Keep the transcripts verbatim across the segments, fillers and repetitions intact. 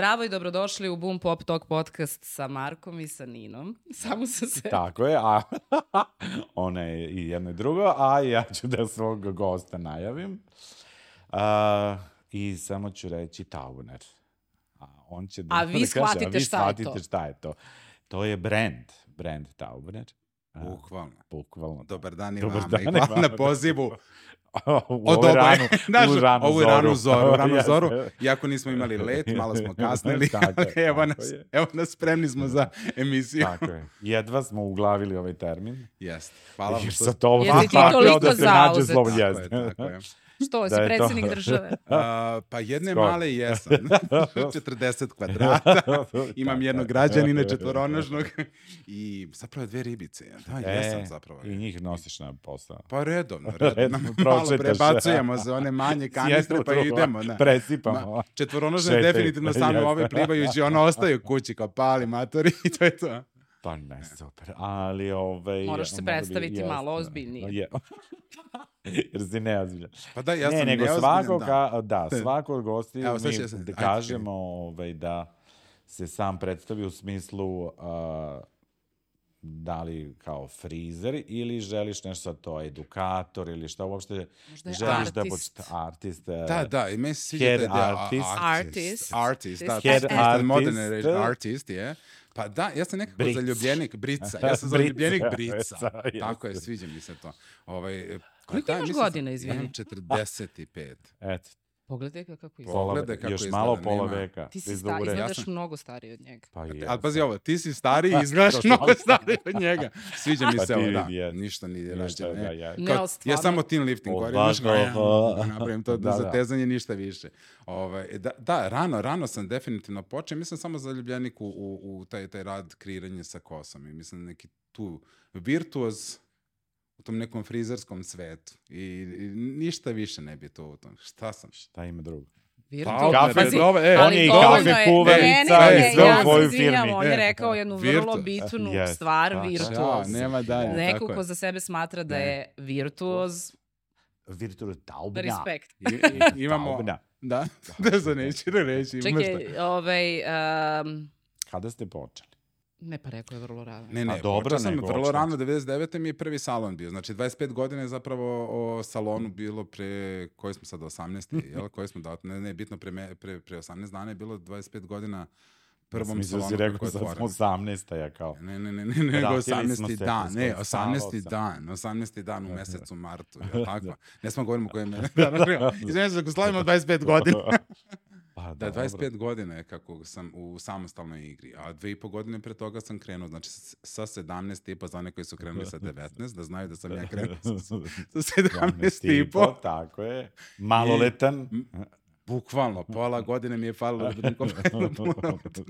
Zdravo i dobrodošli u Boom Pop Talk podcast sa Markom i sa Ninom. Samo sa se. Tako je, a ona je i jedno i drugo, a ja ću da svog gosta najavim. Uh, I samo ću reći Tauner. A, on će da, a vi da shvatite kaže, a vi šta je to. shvatite šta je to. To je brand, brand Tauner. Bukvalno. Bukvalno. Dobar dan i Dobar vama dan i hvala vama. na pozivu. U ovu ranu, u ranu ovu zoru. ranu zoru, ranu Jeste. zoru. Iako nismo imali let, malo smo kasnili, Tako je, evo, tako nas, je. evo nas, spremni smo za emisiju. Tako je. Jedva smo uglavili ovaj termin. Jeste. Hvala vam Jer što... sa tobom Jesi ti tako toliko da se nađe zauzet. slovo Tako je, jeste. tako je. Što, si Da je to. predsjednik države? A, pa jedne Skoro. male jesam. četrdeset kvadrata. Imam jednog građanina četvoronožnog i zapravo dve ribice. Da, E, jesam zapravo. I njih nosiš na posao. Pa redovno, Redovno, redovno. Malo pročitaš. prebacujemo za one manje kanistre pa idemo. Da. Presipamo. Ma, četvoronožne Šetaj. definitivno stanu Jeste. ove plivajući, ono ostaju kući kao pali matori i to je to. Pa ne, super. Ali ovaj... Moraš se mora bi- predstaviti jeste. malo ozbiljnije. Je. Jer si neozbiljan. Pa da, ja ne, sam nego neozbiljan, svako, da. ka, da, svako od gosti Evo, sad mi će se- da ajde, kažemo ovaj, da se sam predstavi u smislu uh, da li kao frizer ili želiš nešto to, edukator ili šta uopšte Možda je želiš da artist. budeš artist. uh, Da, da, i meni se sviđa Head taj deo, artist. Artist. Artist, da, Head to je artist. modern artist, je. Pa da, ja sam nekako Bric. zaljubljenik Brica. Ja sam Brica. zaljubljenik Brica. Brica, Tako je, jeste. sviđa mi se to. Ovaj, Koliko da, imaš mislim godina, sam- izvini? Imam četrdeset pet. Eto, Pogledaj ga kako izgleda. pola, Pogledaj kako još izgleda, malo pola nema. veka. Ti si Iz sta, Dure. izgledaš Ja sam- mnogo stariji od njega. Pa je. Ali pazi ovo, ti si stariji i izgledaš mnogo stariji od njega. Sviđa mi Pa se ti ovo, da. vidi, jes. Ništa nije Ništa, rađeno. da, ne. ja. Ne, Kao, ali ja stvarno- samo team lifting govorim, Ovako, znaš, ja, pa- napravim to Da, za da. tezanje ništa više. Ovaj, da, da, rano, rano sam definitivno počeo, mislim samo zaljubljenik u, u, u taj, taj rad kreiranje sa kosom i mislim neki tu virtuoz u tom nekom frizerskom svetu i, i ništa više ne bi to u tom. Šta sam? Šta ima drugo? Virtualno. kafe, Pazi, dobro, e, ali on je i dovoljno kafe je- kuvarica ne, ne, i ne, sve u ja se tvojoj izvinjam, firmi. on je E, rekao jednu vrlo virtuoz. bitnu Yes, stvar, tako je. virtuoz. Ja, nema dalje. Neko tako ko je. za sebe smatra da Ne. je virtuoz, Virtualno taubna. respekt. I, i, imamo... Taubna. Da, da za neću da reći. umesto- Čekaj, ovaj, um, Kada ste počeli? ne pa rekao je vrlo rano. Ne, ne, A dobro, počeo sam nego vrlo očito. rano, devedeset devete mi je prvi salon bio. Znači, dvadeset pet godina je zapravo o salonu bilo pre, koji smo sad, osamnaest, jel? Koji smo dao, ne, ne, bitno pre, me- pre, pre osamnaest dana je bilo dvadeset pet godina prvom Mislio salonu si kako rekao je sad smo otvoren. osamnaesta ja kao. Ne, ne, ne, ne, ne, nego Vratili smo osamnaesti se dan, kroz ne, koji osamnaesti sam. dan, osamnaesti dan u mesecu martu, je tako? Ne smo govorimo koje me... Izvijem se, ako slavimo dvadeset pet godina. Pa, Da, dobro. dvadeset pet godina je kako sam u samostalnoj igri, a dve i po godine pre toga sam krenuo, znači s- sa sedamnaest i po za one koji su krenuli sa devetnaest, da znaju da sam ja krenuo sa, sa sedamnaest i po. Tako je. Maloletan. Bukvalno, pola godine mi je falilo da budem kompletno punoletan.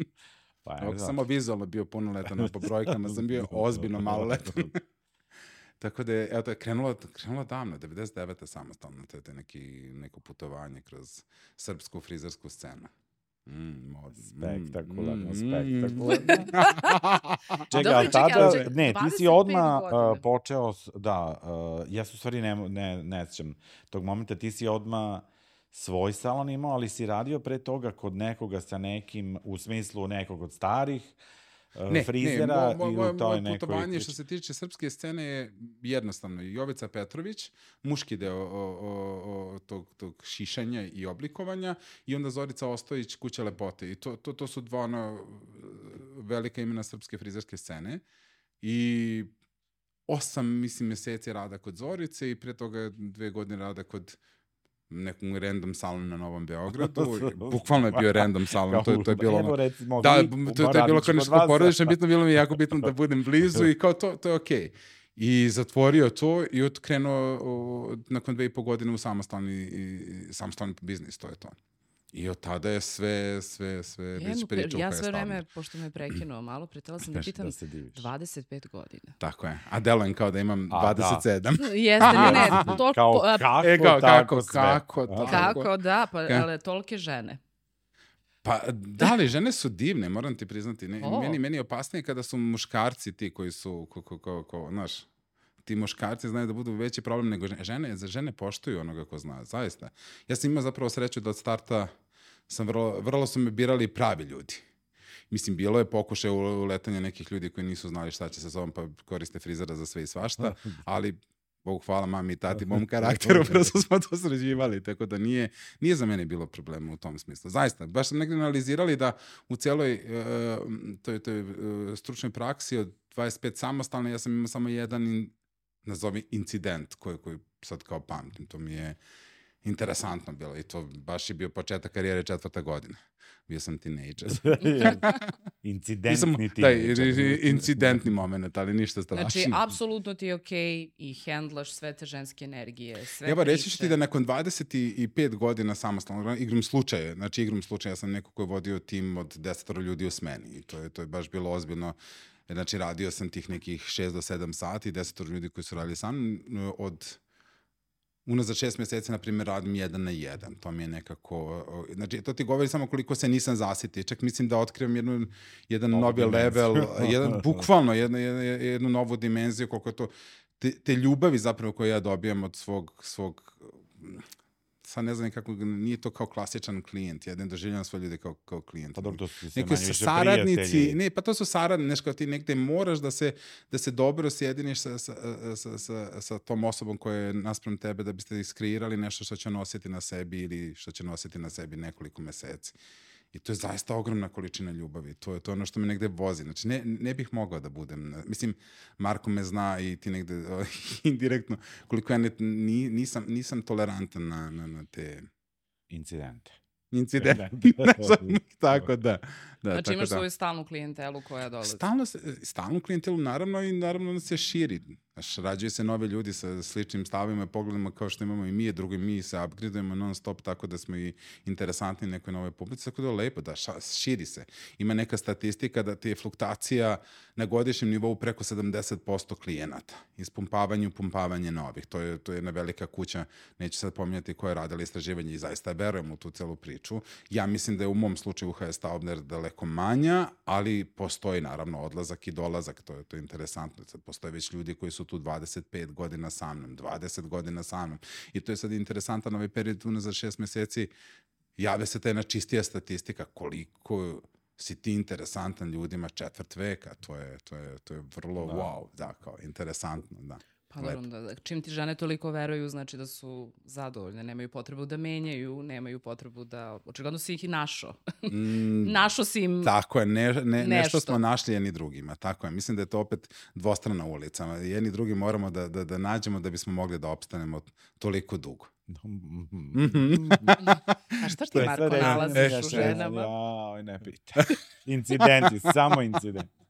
Pa, Ako je, sam samo vizualno bio punoletan, a po brojkama sam bio ozbiljno maloletan. Tako da je, evo to je krenulo, krenulo davno, devedeset devete samostalno, to je to neki, neko putovanje kroz srpsku frizersku scenu. Mm, mod, Spektakularno, mm, spektakularno. Čekaj, Dobro, ali čekaj, tada, ali čekaj, ne, ti dvadeset si pet odmah godina. uh, počeo, s- da, uh, ja se u stvari ne, ne, ne sjećam tog momenta, ti si odmah svoj salon imao, ali si radio pre toga kod nekoga sa nekim, u smislu nekog od starih uh, Ne, frizera ne, mo, mo, i mo, u toj moje nekoj... putovanje što se tiče srpske scene je jednostavno. Jovica Petrović, muški deo o, o, o, tog, tog šišanja i oblikovanja i onda Zorica Ostojić, Kuća lepote. I to, to, to su dva ono, velika imena srpske frizerske scene. I osam, mislim, meseci rada kod Zorice i pre toga dve godine rada kod nekom random salonu na Novom Beogradu. Bukvalno je bio random salon, to, je- to je bilo Evo, ono... recimo, Da, vi, to, to je bilo kao kod nešto vas. porodično, bitno bilo mi je jako bitno da budem blizu i kao to, to je okej. I zatvorio to i otkrenuo o, nakon dve i po godine u samostalni, i, samostalni biznis, to je to. I od tada je sve, sve, sve već Jednu, priča pre- u ja kojoj je sve vreme, stavljeno. pošto me je prekinuo malo, pretela sam da Nešto pitam da se diviš. dvadeset pet godina. Tako je. A delujem kao da imam A, dvadeset sedam. Jeste, ne, ne, toliko... Kao a, kako, E, kao, tako kako, sve. kako, A? tako. Kako, da, pa, Ka- ali tolike žene. Pa da li, žene su divne, moram ti priznati. Ne, O. meni, meni je opasnije kada su muškarci ti koji su, ko, ko, ko, ko, znaš, ti muškarci znaju da budu veći problem nego žene. Žene, za žene poštuju onoga ko zna, zaista. Ja sam imao zapravo sreću da od starta sam vrlo, vrlo su me birali pravi ljudi. Mislim, bilo je pokušaj uletanja nekih ljudi koji nisu znali šta će sa sobom, pa koriste frizera za sve i svašta, ali Bogu hvala mami i tati, mom karakteru, prosto smo to sređivali, tako da nije, nije za mene bilo problema u tom smislu. Zaista, baš sam negdje analizirali da u cijeloj uh, toj, toj uh, stručnoj praksi od dvadeset pet samostalne, ja sam imao samo jedan, in, nazovi, incident koji, koji sad kao pamtim. To mi je interesantno bilo i to baš je bio početak karijere četvrta godina. Bio sam tinejdžer. Incidentni tinejdžer. Incidentni moment, ali ništa strašno. Znači, apsolutno ti je okej okay i hendlaš sve te ženske energije, sve Evo, priče. reći ću ti da nakon dvadeset pet godina samostalno igram slučaje. Znači, igram slučaje. Ja sam neko koji je vodio tim od desetoro ljudi u smeni i to je, to je baš bilo ozbiljno. Znači, radio sam tih nekih šest do sedam sati, desetoro ljudi koji su radili sa mnom od... Unazad šest mjeseci, na primjer, radim jedan na jedan. To mi je nekako... Znači, to ti govori samo koliko se nisam zasitio. Čak mislim da otkrivam jednu, jedan Novu novi dimenziju. level, jedan, bukvalno jednu, jednu, jednu novu dimenziju, koliko je to... Te, te ljubavi zapravo koje ja dobijam od svog... svog sad ne znam kako, nije to kao klasičan klijent. Ja ne doživljam svoje ljude kao, kao klijent. Pa dobro, to su se Neki manje više saradnici, prijatelji. ne, pa to su saradnici, nešto ti negde moraš da se, da se dobro sjediniš sa, sa, sa, sa, sa tom osobom koja je naspram tebe da biste iskreirali nešto što će nositi na sebi ili što će nositi na sebi nekoliko meseci. I to je zaista ogromna količina ljubavi. To je to ono što me negde vozi. Znači, ne, ne bih mogao da budem... Mislim, Marko me zna i ti negde uh, indirektno, koliko ja ne, nisam, nisam tolerantan na, na, na te... Incidente. Incidente. Tako da. da znači tako imaš da. svoju stalnu klijentelu koja dolazi. Stalno, stalnu klijentelu, naravno, i naravno da se širi. Znaš, rađuju se nove ljudi sa sličnim stavima i pogledima kao što imamo i mi, drugi mi se upgradeujemo non stop tako da smo i interesantni nekoj nove publici, tako da je lepo, da ša, širi se. Ima neka statistika da ti je fluktacija na godišnjem nivou preko sedamdeset posto klijenata. Ispumpavanje, upumpavanje novih. To je, to je jedna velika kuća, neću sad pominjati koja je radila istraživanje i zaista verujem u tu celu priču. Ja mislim da je u mom slučaju U H S Taubner daleko manja, ali postoji naravno odlazak i dolazak, to je, to je interesantno. Sad postoje već ljudi koji su tu dvadeset pet godina sa mnom, dvadeset godina sa mnom. I to je sad interesantan ovaj period unazad šest mjeseci. Jave se ta jedna čistija statistika koliko si ti interesantan ljudima četvrt veka. To je, to je, to je vrlo da. wow, da, kao interesantno, da. Pa dobro, da, čim ti žene toliko veruju, znači da su zadovoljne, nemaju potrebu da menjaju, nemaju potrebu da... Očigledno si ih i našo. Mm, našo si im Tako je, ne, ne, nešto. nešto smo našli jedni drugima, tako je. Mislim da je to opet dvostrana ulica. Jedni drugi moramo da, da, da nađemo da bismo mogli da opstanemo toliko dugo. A šta ti, Marko, nalaziš u ženama? Ja, ne pita. Incidenti, samo incidenti.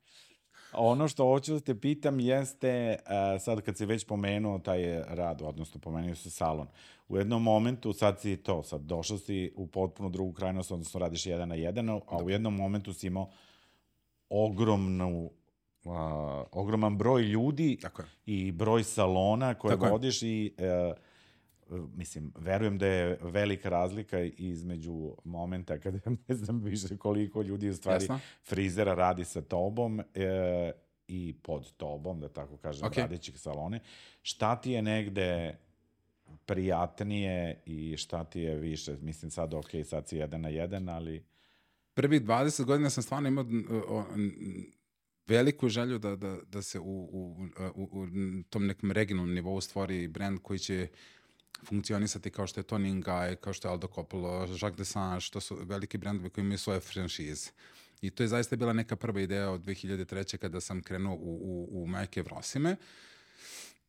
Ono što hoću da te pitam jeste, uh, sad kad si već pomenuo taj rad, odnosno pomenuo si salon, u jednom momentu, sad si to, sad došao si u potpuno drugu krajnost, odnosno radiš jedan na jedan, a u jednom momentu si imao ogromnu, uh, ogroman broj ljudi i broj salona koje Tako vodiš je. i... Uh, mislim, verujem da je velika razlika između momenta kada ne znam više koliko ljudi u stvari Jasno. frizera radi sa tobom e, i pod tobom, da tako kažem, okay. radećih salone. Šta ti je negde prijatnije i šta ti je više? Mislim sad, ok, sad si jedan na jedan, ali... Prvih dvadeset godina sam stvarno imao o, veliku želju da, da, da se u, u, u, u tom nekom regionalnom nivou stvori brand koji će funkcionisati kao što je Toni Guy, kao što je Aldo Coppola, Jacques Dessange, to su veliki brendovi koji imaju svoje franšize. I to je zaista bila neka prva ideja od dve hiljade treće kada sam krenuo u, u, u Majke Vrosime,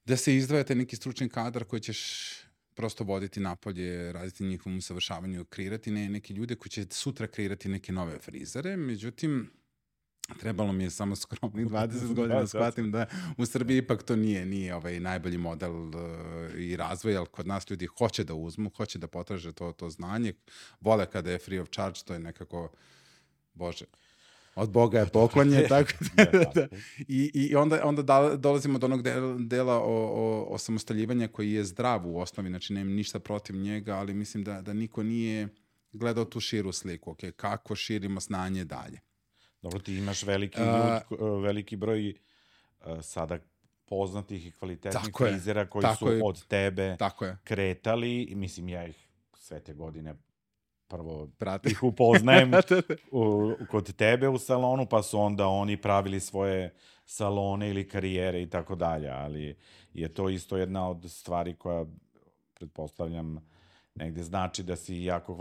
da se izdvajate neki stručni kadar koji ćeš prosto voditi napolje, raditi njihovom usavršavanju, kreirati ne, neke ljude koji će sutra kreirati neke nove frizere. Međutim, trebalo mi je samo skromnih dvadeset godina, shvatim da u Srbiji ipak to nije, nije ovaj najbolji model uh, i razvoj, ali kod nas ljudi hoće da uzmu, hoće da potraže to, to znanje, vole kada je free of charge, to je nekako, Bože, od Boga je poklonje, tako da, i, i onda, onda da, dolazimo do onog dela, dela o, o, o samostaljivanju koji je zdrav u osnovi, znači nemam ništa protiv njega, ali mislim da, da niko nije gledao tu širu sliku, okay, kako širimo znanje dalje. Dobro, ti imaš veliki, ljud, uh, veliki broj uh, sada poznatih i kvalitetnih frizera koji su je. od tebe kretali i mislim ja ih sve te godine prvo Prati. ih upoznajem u, kod tebe u salonu, pa su onda oni pravili svoje salone ili karijere i tako dalje, ali je to isto jedna od stvari koja, pretpostavljam, negde znači da si jako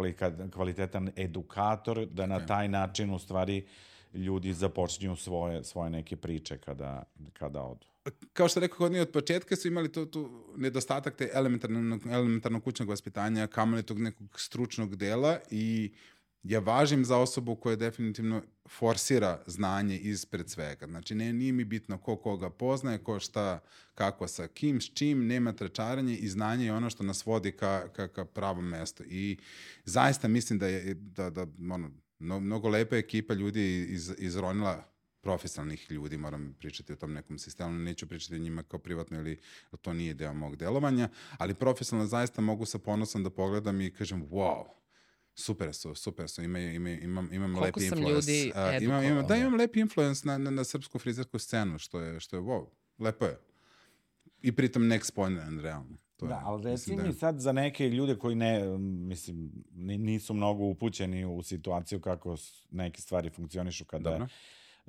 kvalitetan edukator, da na taj način u stvari ljudi započinju svoje, svoje neke priče kada, kada odu. Kao što rekao, kod njih od početka su imali tu, tu nedostatak te elementarnog, elementarnog kućnog vaspitanja, kamoli tog nekog stručnog dela i ja važim za osobu koja definitivno forsira znanje ispred svega. Znači, ne, nije mi bitno ko koga poznaje, ko šta, kako, sa kim, s čim, nema trečaranje i znanje je ono što nas vodi ka, ka, ka pravom mestu. I zaista mislim da je da, da, ono, no, mnogo lepa ekipa ljudi iz, izronila profesionalnih ljudi, moram pričati o tom nekom sistemu, neću pričati o njima kao privatno ili to nije deo mog delovanja, ali profesionalno zaista mogu sa ponosom da pogledam i kažem, wow, super su, super su, imaju, imaju, imam, imam Koliko lepi sam influence. ljudi Uh, imam, imam, da, imam lepi influence na, na, na srpsku frizersku scenu, što je, što je wow, lepo je. I pritom next point, realno. To da, je, ali reci da mi je... sad za neke ljude koji ne, mislim, nisu mnogo upućeni u situaciju kako neke stvari funkcionišu kada Dobro.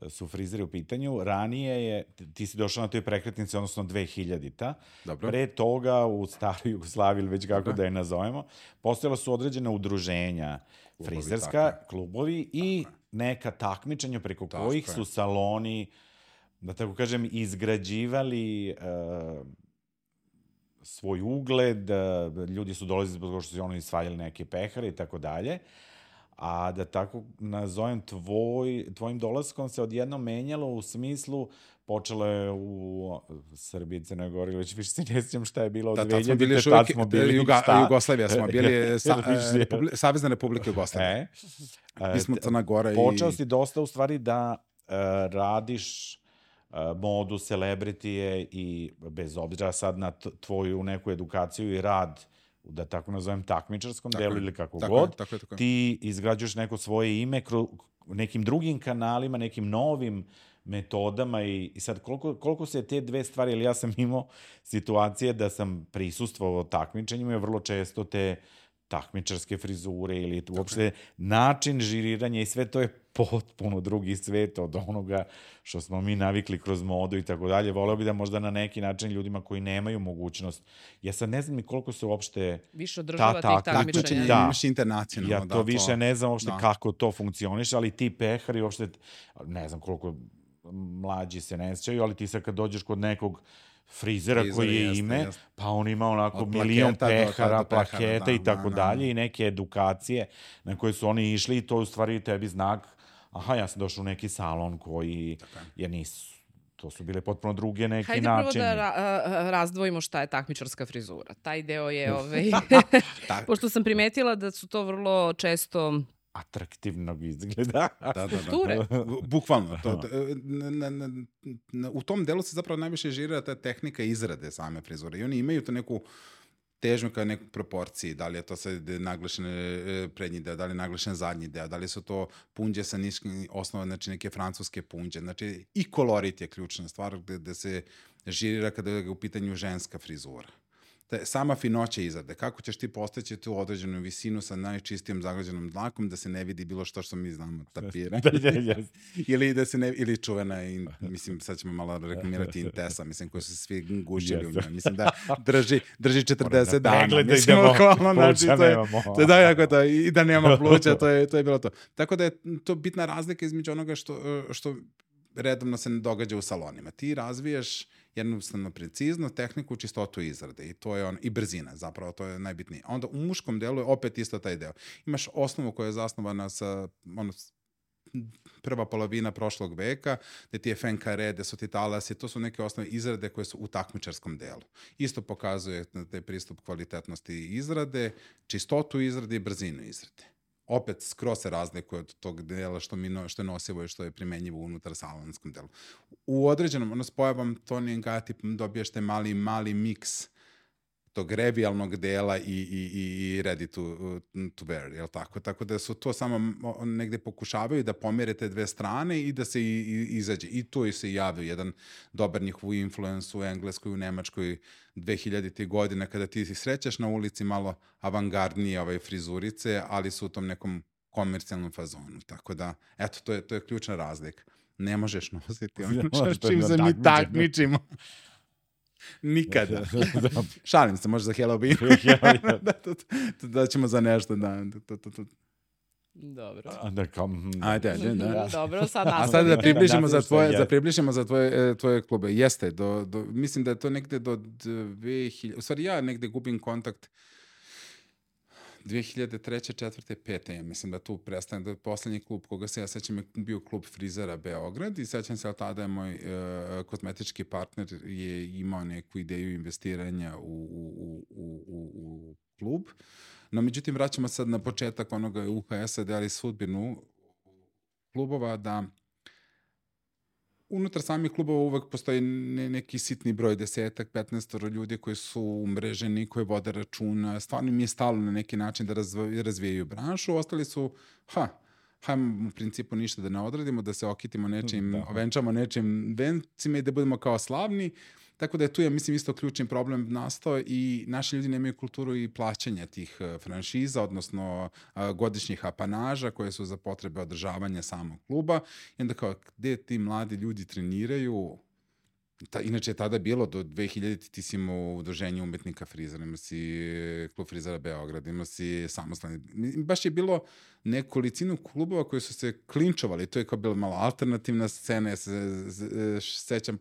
su frizeri u pitanju. Ranije je, ti si došao na toj prekretnici, odnosno dve hiljadita. Dobro. Pre toga u staroj Jugoslaviji, ili već kako Dobro. da je nazovemo, postojala su određena udruženja klubovi, frizerska, tako. klubovi i tako. neka takmičenja preko tako kojih je. su saloni, da tako kažem, izgrađivali uh, svoj ugled, ljudi su dolazili zbog što su oni svaljali neke pehare i tako dalje. A da tako nazovem, tvoj, tvojim dolaskom se odjednom menjalo u smislu, počelo je u Srbiji, Crnoj Gori, već više se ne sjećam šta je bilo od da, dve hiljadite. Tad smo bili, tad smo bili Juga, šta? Jugoslavija smo bili, sa, Republi, Savezna Republika Jugoslavija. E, Mi smo Crna Gora i... Počeo si dosta u stvari da uh, radiš uh, modu, celebritije i bez obzira sad na tvoju neku edukaciju i rad, da tako nazovem takmičarskom tako delu je, ili kako tako god, je, tako je, tako je. ti izgrađuješ neko svoje ime kroz nekim drugim kanalima, nekim novim metodama i, i sad koliko, koliko se te dve stvari, ili ja sam imao situacije da sam prisustvovao takmičenjima i vrlo često te takmičarske frizure ili tako uopšte je. način žiriranja i sve to je potpuno drugi svet od onoga što smo mi navikli kroz modu i tako dalje. Voleo bi da možda na neki način ljudima koji nemaju mogućnost, ja sad ne znam ni koliko se uopšte više održava ta, tih takmičenja. Da, imaš internacionalno. Ja to da, više to, ne znam uopšte da. kako to funkcioniš, ali ti pehari uopšte, ne znam koliko mlađi se ne sjećaju, ali ti sad kad dođeš kod nekog frizera Frizer, koji je jeste, ime, jeste. pa on ima onako od milion pehara, do, plaketa da, i tako da, dalje da. i neke edukacije na koje su oni išli i to je u stvari tebi znak, aha, ja sam došao u neki salon koji je nisu, to su bile potpuno druge neki Hajde načini. Hajde prvo da ra- razdvojimo šta je takmičarska frizura. Taj deo je, ovaj, pošto sam primetila da su to vrlo često atraktivnog izgleda. Da, da, da. Bukvalno. To, na, na, na, u tom delu se zapravo najviše žira ta tehnika izrade same frizure. I oni imaju to neku težnju kao neku proporciji. Da li je to sad naglašen prednji deo, da li je naglašen zadnji deo, da li su to punđe sa niškim osnova, znači neke francuske punđe. Znači i kolorit je ključna stvar gde, gde se žirira kada je u pitanju ženska frizura. Sama finoća izrade, kako ćeš ti postaći tu određenu visinu sa najčistijom zaglađenom dlakom da se ne vidi bilo što što mi znamo, tapira. ili da se ne, ili čuvena, i, mislim, sad ćemo malo reklamirati Intesa, mislim, koji su svi gužili u njoj. Mislim da drži, drži četrdeset dana. Mislim, okolo, znači, to je, to je da, jako to, i da nema pluća, to je, to je bilo to. Tako da je to bitna razlika između onoga što, što redovno se ne događa u salonima. Ti razvijaš jednostavno precizno tehniku, čistotu izrade i to je on, i brzina, zapravo to je najbitnije. Onda u muškom delu je opet isto taj deo. Imaš osnovu koja je zasnovana sa ono, prva polovina prošlog veka, gde ti je fenkare, gde su ti talasi, to su neke osnove izrade koje su u takmičarskom delu. Isto pokazuje taj pristup kvalitetnosti izrade, čistotu izrade i brzinu izrade. Opet skroz se razlikuje od tog dela što, mi no, što je nosivo i što je primenjivo unutar salonskom delu. U određenom, ono, s pojavom Toni and Guy dobiješ te mali, mali miks tog revijalnog dela i, i, i ready to, to wear, jel tako? Tako da su to samo negde pokušavaju da pomere te dve strane i da se i, i, izađe. I tu se javio jedan dobar njihov influence u Engleskoj, u Nemačkoj dve hiljadite godine, kada ti si srećeš na ulici malo avangardnije ovaj, frizurice, ali su u tom nekom komercijalnom fazonu. Tako da, eto, to je, to je ključna razlika. Ne možeš nositi ono čim se mi takmičimo. Nikada. Šalim se, može za Halloween. da, to, to, da ćemo za nešto, da. To, to, to. Dobro. Da, kao, ajde, ajde, da. Dobro, sad nastavimo. A sad da približimo za tvoje, za približimo za tvoje, tvoje klube. Jeste, do, do, mislim da je to negde do dve hiljade... U stvari, ja negde gubim kontakt dve hiljade treće, četvrte, pete Ja mislim da tu prestane, da poslednji klub koga se ja sećam je bio klub frizera Beograd i sećam se, ali tada je moj uh, kozmetički partner je imao neku ideju investiranja u, u, u, u, u klub. No, međutim, vraćamo sad na početak onoga U H S-a, da li sudbinu klubova, da unutar samih klubova uvek postoji ne, neki sitni broj, desetak, petnaestoro ljudi koji su umreženi, koji vode računa. Stvarno mi je stalo na neki način da razv- razvijaju branšu. Ostali su, ha, hajmo u principu ništa da ne odradimo, da se okitimo nečim, da. ovenčamo nečim vencima i da budemo kao slavni. Tako da je tu, ja mislim, isto ključni problem nastao i naši ljudi nemaju kulturu i plaćanja tih franšiza, odnosno godišnjih apanaža koje su za potrebe održavanja samog kluba. I onda kao, gde ti mladi ljudi treniraju? Ta, inače je tada bilo do dve hiljadite ti si imao udruženje umetnika frizera, ima si klub frizera Beograd, ima si samostalni. Baš je bilo nekolicinu klubova koji su se klinčovali. To je kao bila malo alternativna scena. Ja se sećam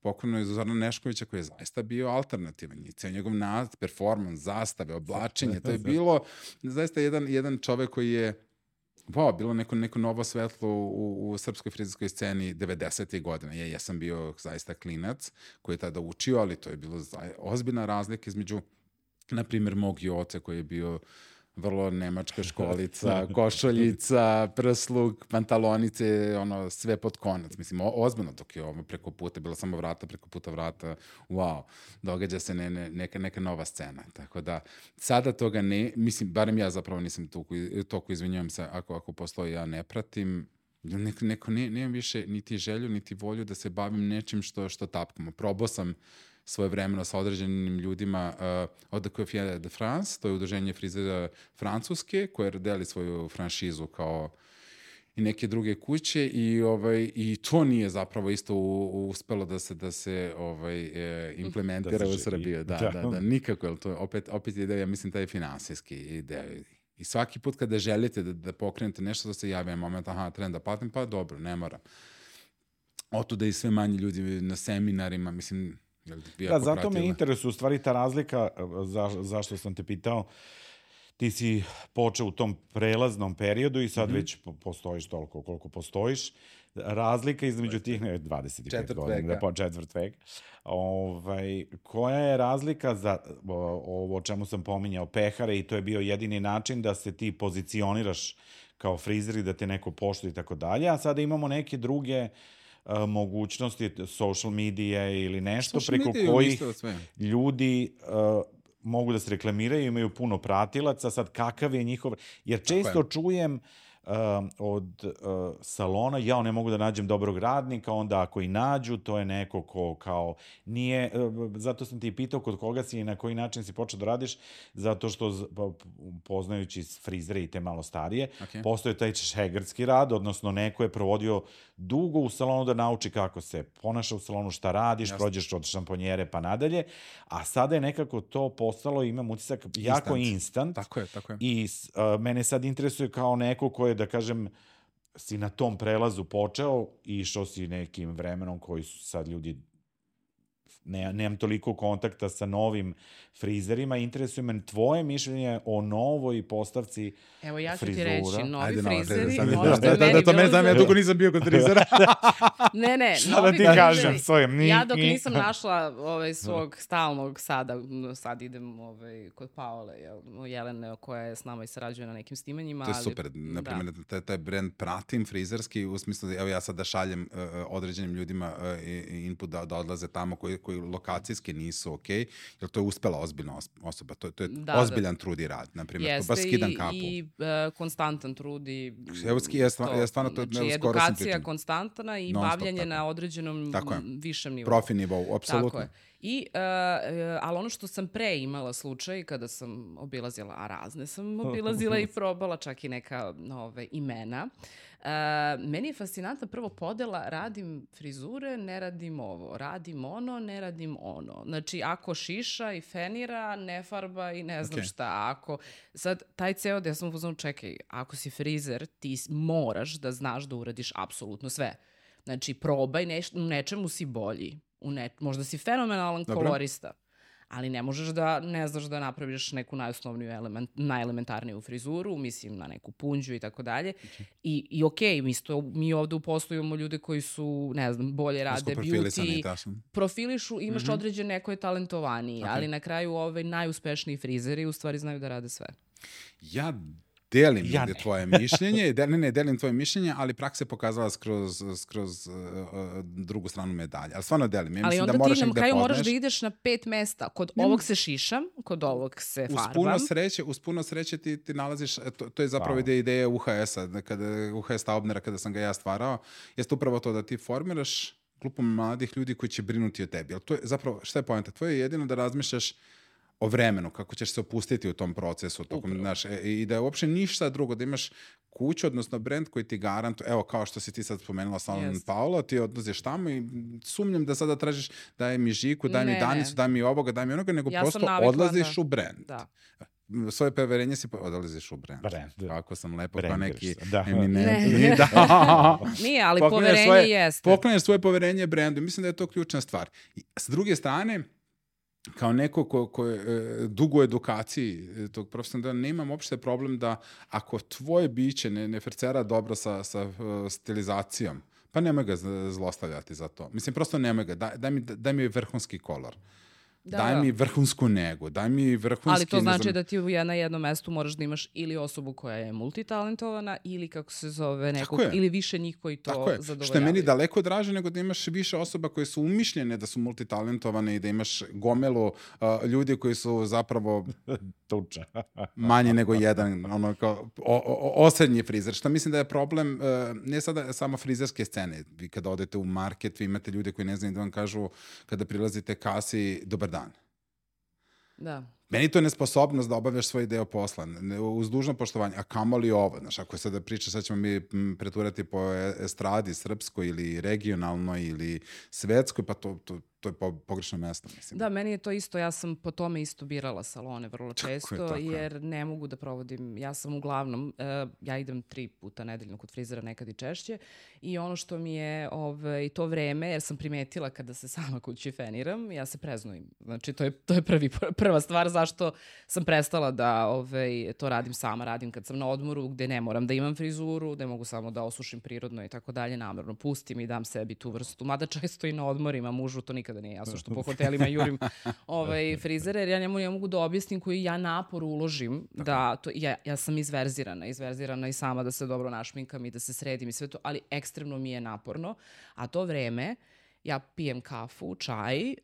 pokojno je Zoran Neškovića koji je zaista bio alternativan i ceo njegov nad, performans, zastave, oblačenje, to je bilo zaista jedan, jedan čovek koji je wow, bilo neko, neko novo svetlo u, u srpskoj frizerskoj sceni devedesetih godina. Ja, ja sam bio zaista klinac koji je tada učio, ali to je bilo ozbiljna razlika između, na primjer, mog Joce koji je bio vrlo nemačka školica, košoljica, prsluk, pantalonice, ono, sve pod konac. Mislim, o, ozbiljno dok je ovo preko puta, bilo samo vrata, preko puta vrata, wow, događa se ne, ne, neka, neka nova scena. Tako da, sada toga ne, mislim, barem ja zapravo nisam toliko, toliko izvinjujem se, ako, ako postoji, ja ne pratim, neko, neko ne, nemam više niti želju, niti volju da se bavim nečim što, što tapkamo. Probao sam svoje vremeno sa određenim ljudima uh, od The Coiffure de France, to je udruženje frizera Francuske, koje deli svoju franšizu kao i neke druge kuće i ovaj i to nije zapravo isto u, u, uspelo da se da se ovaj e, implementira da se u Srbiji. Da, da, da, da, nikako, jer to opet opet je ideja, mislim, taj finansijski ideja. I svaki put kada želite da, da pokrenete nešto, da se javi moment, aha, trebam da platim, pa dobro, ne moram. Otuda i sve manje ljudi na seminarima, mislim, da, zato pratila. Me interesuje u stvari ta razlika, za, zašto sam te pitao, ti si počeo u tom prelaznom periodu i sad mm-hmm. već postojiš toliko koliko postojiš. Razlika između tih ne, dvadeset pet godina, da, četvrt vek. Ovaj, koja je razlika za ovo o čemu sam pominjao, pehare, i to je bio jedini način da se ti pozicioniraš kao frizer i da te neko poštuje i tako dalje, a sada imamo neke druge uh, mogućnosti, social medije ili nešto social preko kojih ljudi uh, mogu da se reklamiraju, imaju puno pratilaca, sad kakav je njihov... Jer često čujem uh, od uh, salona, ja ne mogu da nađem dobrog radnika, onda ako i nađu, to je neko ko kao nije... Uh, zato sam ti pitao kod koga si i na koji način si počeo da radiš, zato što poznajući frizere i te malo starije, okay. Postoje taj šegrtski rad, odnosno neko je provodio dugo u salonu da nauči kako se ponaša u salonu, šta radiš, Jasne. Prođeš od šamponjere pa nadalje, a sada je nekako to postalo, imam utisak, jako instant. instant. Tako je, tako je. I uh, mene sad interesuje kao neko ko je, da kažem, si na tom prelazu počeo i išao si nekim vremenom koji su sad ljudi, ne, nemam toliko kontakta sa novim frizerima, interesuje me tvoje mišljenje o novoj postavci frizura. Evo ja ću frizura. ti reći, novi Ajde, frizeri, no, ono što da, je da, meni da, to bilo... mene znam, ja dugo nisam bio kod frizera. ne, ne, šta novi da ti frizeri, kažem svojem? Ni, ja dok ni. nisam našla ovaj, svog stalnog sada, sad idem ovaj, kod Paole, Jelene, koja je s nama i sarađuje na nekim snimanjima. To je super, na primjer, da. taj, taj brand pratim frizerski, u smislu da evo ja sad da šaljem uh, određenim ljudima uh, input da, da odlaze tamo, koji koji lokacijski nisu ok, jer to je uspela ozbiljna os- osoba, to, to je Da, ozbiljan trud i rad, na primjer, to Jeste baš skidam i, kapu. i e, konstantan trud i Evo, ski- ja stvarno- ja stvarno to- znači, evo, skoro sam edukacija pričam. konstantna i Non-stop, bavljanje tako. na određenom Tako je. m, višem nivou. Profi nivou, apsolutno. Tako je. I, uh, uh, ali ono što sam pre imala slučaj kada sam obilazila, a razne sam obilazila i probala čak i neka ove, imena. Uh, meni je fascinantna prvo podela, radim frizure, ne radim ovo, radim ono, ne radim ono. Znači, ako šiša i fenira, ne farba i ne znam Okay. šta. Ako, sad, taj ceo da ja sam u fazonu, čekaj, ako si frizer, ti s- moraš da znaš da uradiš apsolutno sve. Znači, probaj, neš, u nečemu si bolji. U ne, možda si fenomenalan Dobro. kolorista, ali ne možeš da ne znaš da napraviš neku najosnovniju element, najelementarniju frizuru, mislim na neku punđu i tako dalje. I, i okej, okay, mi, sto, mi ovde u poslu imamo ljude koji su, ne znam, bolje rade, Uskoprofilisani, beauty, tačno. profilišu, imaš Mhm. određen neko je talentovaniji, Ok. ali na kraju ovaj najuspešniji frizeri u stvari znaju da rade sve. Ja delim Ja negde ne. tvoje mišljenje, de, ne, ne, delim tvoje mišljenje, ali praksa je pokazala skroz, skroz uh, uh, drugu stranu medalje. Ali stvarno delim. Ja Ali mislim onda da moraš ti na negde kraju moraš poznaš. da ideš na pet mesta. Kod Ne, ovog se šišam, kod ovog se Uz farbam. puno sreće, uz puno sreće ti, ti nalaziš, e, to, to je zapravo Wow. ideja, ideja U H S-a, da kada, U H S Taubnera, kada sam ga ja stvarao, jeste upravo to da ti formiraš grupu mladih ljudi koji će brinuti o tebi. Ali to je zapravo, šta je poenta? Tvoje je jedino da razmišljaš o vremenu, kako ćeš se opustiti u tom procesu, tokom, znaš, e, i da je uopšte ništa drugo, da imaš kuću, odnosno brend koji ti garantuje, evo kao što si ti sad spomenula Salon Jest. Paolo, ti odlaziš tamo i sumnjam da sada tražiš daj mi Žiku, daj mi Ne, Danicu, ne. daj mi ovoga, daj mi onoga, nego Ja sam prosto navikla odlaziš da- u brend. Da. Svoje preverenje si po- odlaziš u brend. Brand. Kako sam lepo, kao Brandiraš neki se, da. eminentni. Ne. Da. Nije, ali Poklanjaš poverenje svoje- jeste. Poklanjaš svoje poverenje brendu. Mislim da je to ključna stvar. I s druge strane, kao neko ko, ko je e, dugo u edukaciji e, tog profesionalnog dela, nemam uopšte problem da ako tvoje biće ne, ne fercera dobro sa, sa e, stilizacijom, pa nemoj ga z- zlostavljati za to. Mislim, prosto nemoj ga. Daj, daj, mi, daj mi vrhunski kolor. Da, daj da. mi vrhunsku negu. Daj mi vrhunski... Ali to ne znači znam, da ti u je- na jednom mestu moraš da imaš ili osobu koja je multitalentovana ili kako se zove nekog, je. ili više njih koji to Tako je, zadovoljavaju. što je meni daleko draže nego da imaš više osoba koje su umišljene da su multitalentovane i da imaš gomelu uh, ljudi koji su zapravo Tuča. manje nego jedan, ono kao o, o, osrednji frizer, što mislim da je problem uh, ne sada samo frizerske scene. Vi kada odete u market, vi imate ljude koji ne znaju da vam kažu kada prilazite kasi, dobar dan. Da. Meni to je nesposobnost da obavljaš svoj deo posla, ne- uz dužno poštovanje, a kamoli ovo, znaš, ako je sada priča, sad ćemo mi m, preturati po e- estradi, srpskoj ili regionalnoj ili svetskoj, pa to, to, to je po, pogrešno mesto, mislim. Da, meni je to isto, ja sam po tome isto birala salone vrlo Tako je, često, tako je. jer ne mogu da provodim, ja sam uglavnom, uh, ja idem tri puta nedeljno kod frizera, nekad i češće, i ono što mi je ovaj, to vreme, jer sam primetila kada se sama kući feniram, ja se preznojim. Znači, to je, to je prvi, prva stvar zašto sam prestala da ovaj, to radim sama, radim kad sam na odmoru, gde ne moram da imam frizuru, gde mogu samo da osušim prirodno i tako dalje, namerno pustim i dam sebi tu vrstu, mada često i na odmorima, mužu to nikada nije jasno što po hotelima jurim ovaj, frizere, jer ja njemu ne mogu da objasnim koji ja napor uložim, da to, ja, ja sam izverzirana, izverzirana i sama da se dobro našminkam i da se sredim i sve to, ali ekstremno mi je naporno, a to vreme ja pijem kafu, čaj, uh,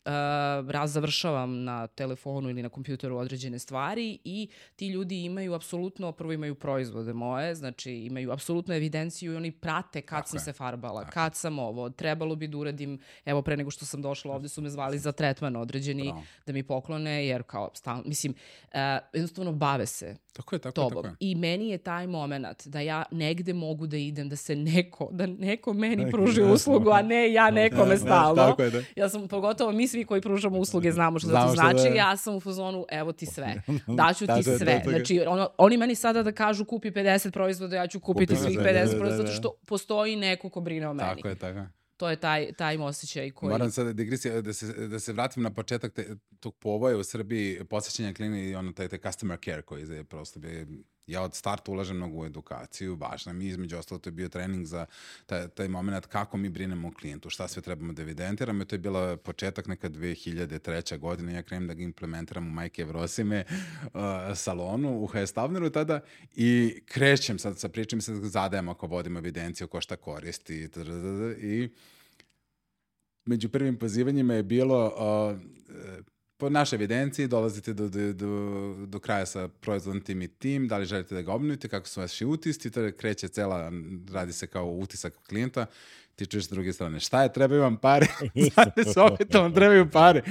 raz završavam na telefonu ili na kompjuteru određene stvari i ti ljudi imaju apsolutno, prvo imaju proizvode moje, znači imaju apsolutnu evidenciju i oni prate kad Tako sam je. se farbala, Tako. kad sam ovo, trebalo bi da uradim, evo pre nego što sam došla ovde su me zvali za tretman određeni Bravo. da mi poklone, jer kao, stal, mislim, uh, jednostavno bave se Tako je, tako je, tobom. tako je. I meni je taj moment da ja negde mogu da idem, da se neko, da neko meni pruži uslugu, a ne ja nekome stalno. Tako je, da. Ja sam, pogotovo mi svi koji pružamo usluge znamo što Znamo to šta znači, da je. ja sam u fazonu, evo ti sve, daću Tako ti je, sve. tako je. Znači, ono, oni meni sada da kažu kupi pedeset proizvoda, ja ću kupiti Kupi svih sve, pedeset da, da, proizvoda, da. zato što postoji neko ko brine o meni. Tako je, tako je. To je taj, taj osjećaj koji... Moram sada digresija, da se, da se vratim na početak te, tog povoja u Srbiji, posjećanja klini i ono, taj, taj customer care koji je prosto bi, ja od starta ulažem mnogo u edukaciju, važno mi između ostalo to je bio trening za taj, taj moment kako mi brinemo o klijentu, šta sve trebamo da evidentiramo i to je bila početak neka dve hiljade treća godine, ja krenem da ga implementiram u Majke Evrosime uh, salonu u H S Tavneru tada i krećem sad sa pričom i sad zadajem ako vodimo evidenciju ko šta koristi i među prvim pozivanjima je bilo uh, po našoj evidenciji dolazite do, do, do, do kraja sa proizvodom tim i tim, da li želite da ga obnovite, kako su vaši utisci, to kreće cela, radi se kao utisak klijenta, ti čuješ s druge strane, šta je, trebaju vam pare, znate se opet vam trebaju pare.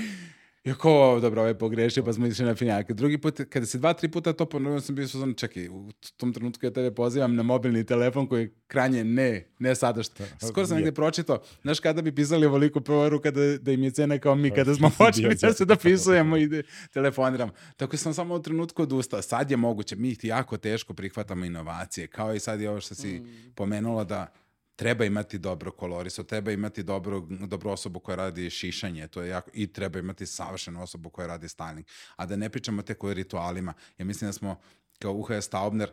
I ako, dobro, ovo je pogrešio, pa smo išli na finjake. Drugi put, kada se dva, tri puta to ponovio, sam bio suzan, čekaj, u tom trenutku ja tebe pozivam na mobilni telefon koji je krajnje ne, ne sadašnji. Skoro sam negdje pročitao, znaš kada bi pisali ovoliku poruku da, da im je cena kao mi, kada smo počeli da se dopisujemo i da telefoniramo. Tako sam samo u trenutku odustao. Sad je moguće, mi jako teško prihvatamo inovacije, kao i sad je ovo što si mm. pomenula da treba imati dobro koloriso, treba imati dobro, dobru osobu koja radi šišanje, to je jako, i treba imati savršenu osobu koja radi styling. A da ne pričamo tek o ritualima. Ja mislim da smo kao U H S Taubner,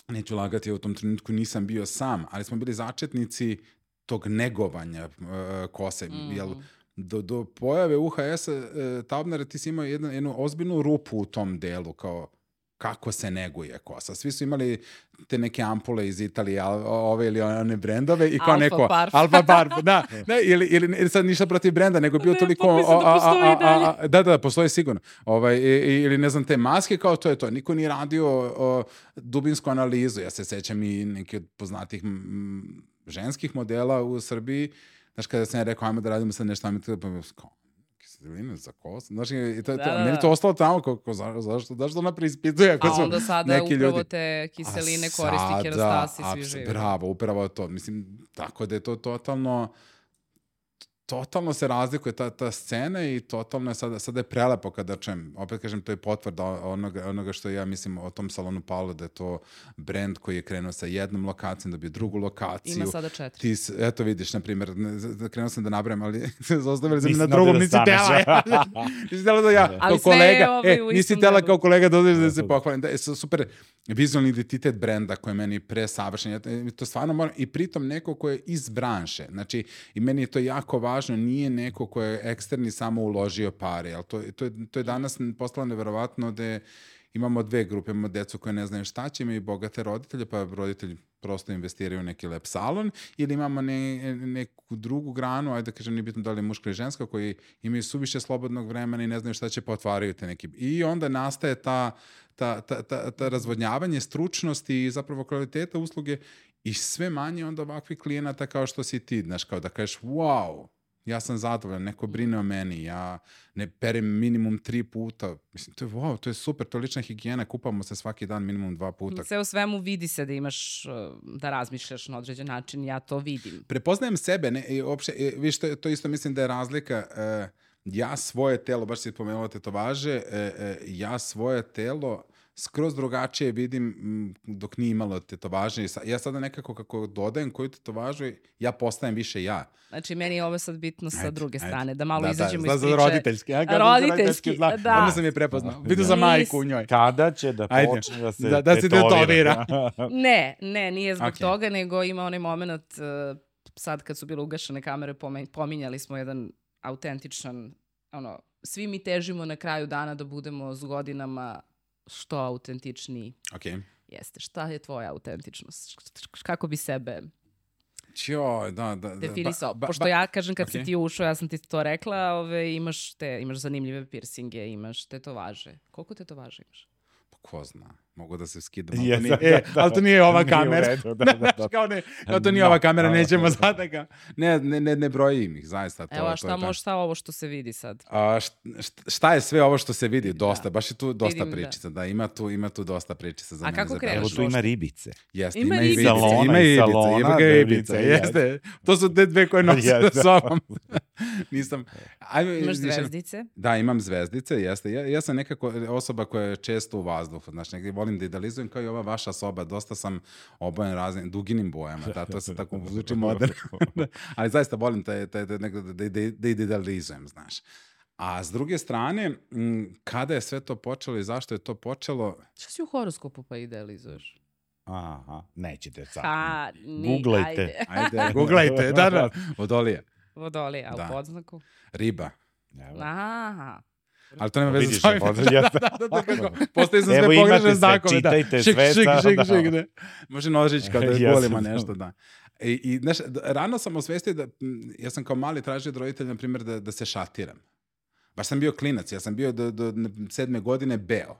neću lagati, u tom trenutku nisam bio sam, ali smo bili začetnici tog negovanja uh, kose. Mm. Jel, do, do pojave U H S uh, Taubnera ti si imao jednu, jednu ozbiljnu rupu u tom delu, kao kako se neguje kosa. Svi su imali te neke ampule iz Italije, ove ili one brendove i kao Alfa neko... Parf. Alfa Parf. Da, ne, ili, ili, ili sad ništa protiv brenda, nego bio ne, toliko... Pa mislim da postoji a, a, a, a, da, da, postoji sigurno. Ovaj, i, ili ne znam, te maske, kao to je to. Niko nije radio o, dubinsku analizu. Ja se sećam i neki od poznatih m, ženskih modela u Srbiji. Znaš, kada sam ja rekao, ajmo da radimo sad nešto, ajmo da kao, kiseline za kosu. Znaš, i to, da, to, da, meni to ostalo tamo, kako, za, zašto, zašto ona preispituje? Ako a su onda sada neki upravo ljudi. te kiseline A koristi sada, kerastasi svi apsu, živi. Bravo, upravo to. Mislim, tako da je to totalno... totalno se razlikuje ta, ta scena i totalno je sada, sada je prelepo kada čujem, opet kažem, to je potvrda onoga, onoga što ja mislim o tom salonu Paolo, da je to brend koji je krenuo sa jednom lokacijom, dobio drugu lokaciju. Ima sada četiri. Ti, eto vidiš, na primjer, krenuo sam da nabrajam, ali ostavili sam na drugom, nisi tela. Nisi tela da ja, kao kolega, e, nisi tela kao kolega da da se pohvalim. Da je super vizualni identitet brenda koji je meni presavršen. To stvarno moram, i pritom neko ko je iz branše. Znači, i meni je to jako važno. Važno, nije neko ko je eksterni samo uložio pare, ali to, to, je, to je danas postalo neverovatno da imamo dve grupe, imamo decu koje ne znaju šta će, imaju bogate roditelje, pa roditelji prosto investiraju u neki lep salon, ili imamo ne, neku drugu granu, ajde da kažem, nije bitno da li je muška ili ženska, koji imaju suviše slobodnog vremena i ne znaju šta će, pa otvaraju te neki. I onda nastaje ta, ta, ta, ta, ta razvodnjavanje stručnosti i zapravo kvaliteta usluge i sve manje onda ovakvih klijenata kao što si ti, znaš, kao da kažeš, wow, ja sam zadovoljan, neko brine o meni, ja ne perem minimum tri puta. Mislim, to je wow, to je super, to je lična higijena, kupamo se svaki dan minimum dva puta. Sve u svemu vidi se da imaš, da razmišljaš na određen način, ja to vidim. Prepoznajem sebe, ne, i uopšte, viš, to, to isto mislim da je razlika, uh, ja svoje telo, baš si pomenula tetovaže, uh, uh, ja svoje telo skroz drugačije vidim dok nije imalo tetovaže. Ja sada nekako kako dodajem koju tetovažu, ja postajem više ja. Znači, meni je ovo sad bitno sa ajde, druge ajde. strane, da malo da, izađemo da, iz priče. Roditeljski. Ja, roditeljski, zna, da. Onda sam je prepoznao. Vidim za majku u njoj. Kada će da počne da se da, da se tetovira? ne, ne, nije zbog okay. toga, nego ima onaj moment, uh, sad kad su bile ugašene kamere, pominjali smo jedan autentičan, ono, svi mi težimo na kraju dana da budemo s godinama što autentičniji. Okay. Jeste. Šta je tvoja autentičnost? Kako bi sebe Ćo, da, da, definisao? Ba, ba, Pošto ja kažem kad okay. si ti ušao, ja sam ti to rekla, ove, imaš, te, imaš zanimljive piercinge, imaš tetovaže. Koliko tetovaže imaš? Pa ko zna. Mogu da se skidam. Yes, nije, da, e, da, ali to nije ova nije kamera. Redu, da, da, da. kao, ne, kao to nije no, ova kamera, no, nećemo sada ga. Ne, ne, ne, ne brojim ih, zaista. To, Evo, a šta, šta, šta ovo što se vidi sad? A, šta je sve ovo što se vidi? Dosta, da. Baš je tu dosta Vidim, pričica. Da. da, ima tu, ima tu dosta pričica za a mene. A kako kreneš? Evo tu ima ribice. Jeste, ima, ima i ribice. Salona, ima i salona, ima ga ribice, jeste. To su te dve koje nosim sa sobom. Nisam... Ajme, imaš zvezdice? Da, imam zvezdice, jeste. Ja, ja sam nekako osoba koja je često u vazduhu. Znači, negdje volim da idealizujem kao i ova vaša soba. Dosta sam obojen raznim duginim bojama. Da, to se tako zvuči moderno. Ali zaista volim taj, taj, taj, da, da, da, da idealizujem, znaš. A s druge strane, m, kada je sve to počelo i zašto je to počelo... Šta si u horoskopu pa idealizuješ? Aha, nećete sad. Ha, ni, Googlajte. Ajde, ajde googlajte. Da, da. Vodolija. Vodolija, a da. u podznaku? Riba. Aha. Ali to nema veze s ovim. Da, da, da, kako. Postoji sam sve sve, pogrešne znakove. Čitajte da. Šik, sve. šik, Da, šik, da. šik, da. Može nožić kao da je golima nešto, da. I, i znaš, rano sam osvestio da, ja sam kao mali tražio od roditelja, na primjer, da, da se šatiram. Baš sam bio klinac, ja sam bio do, do sedme godine beo.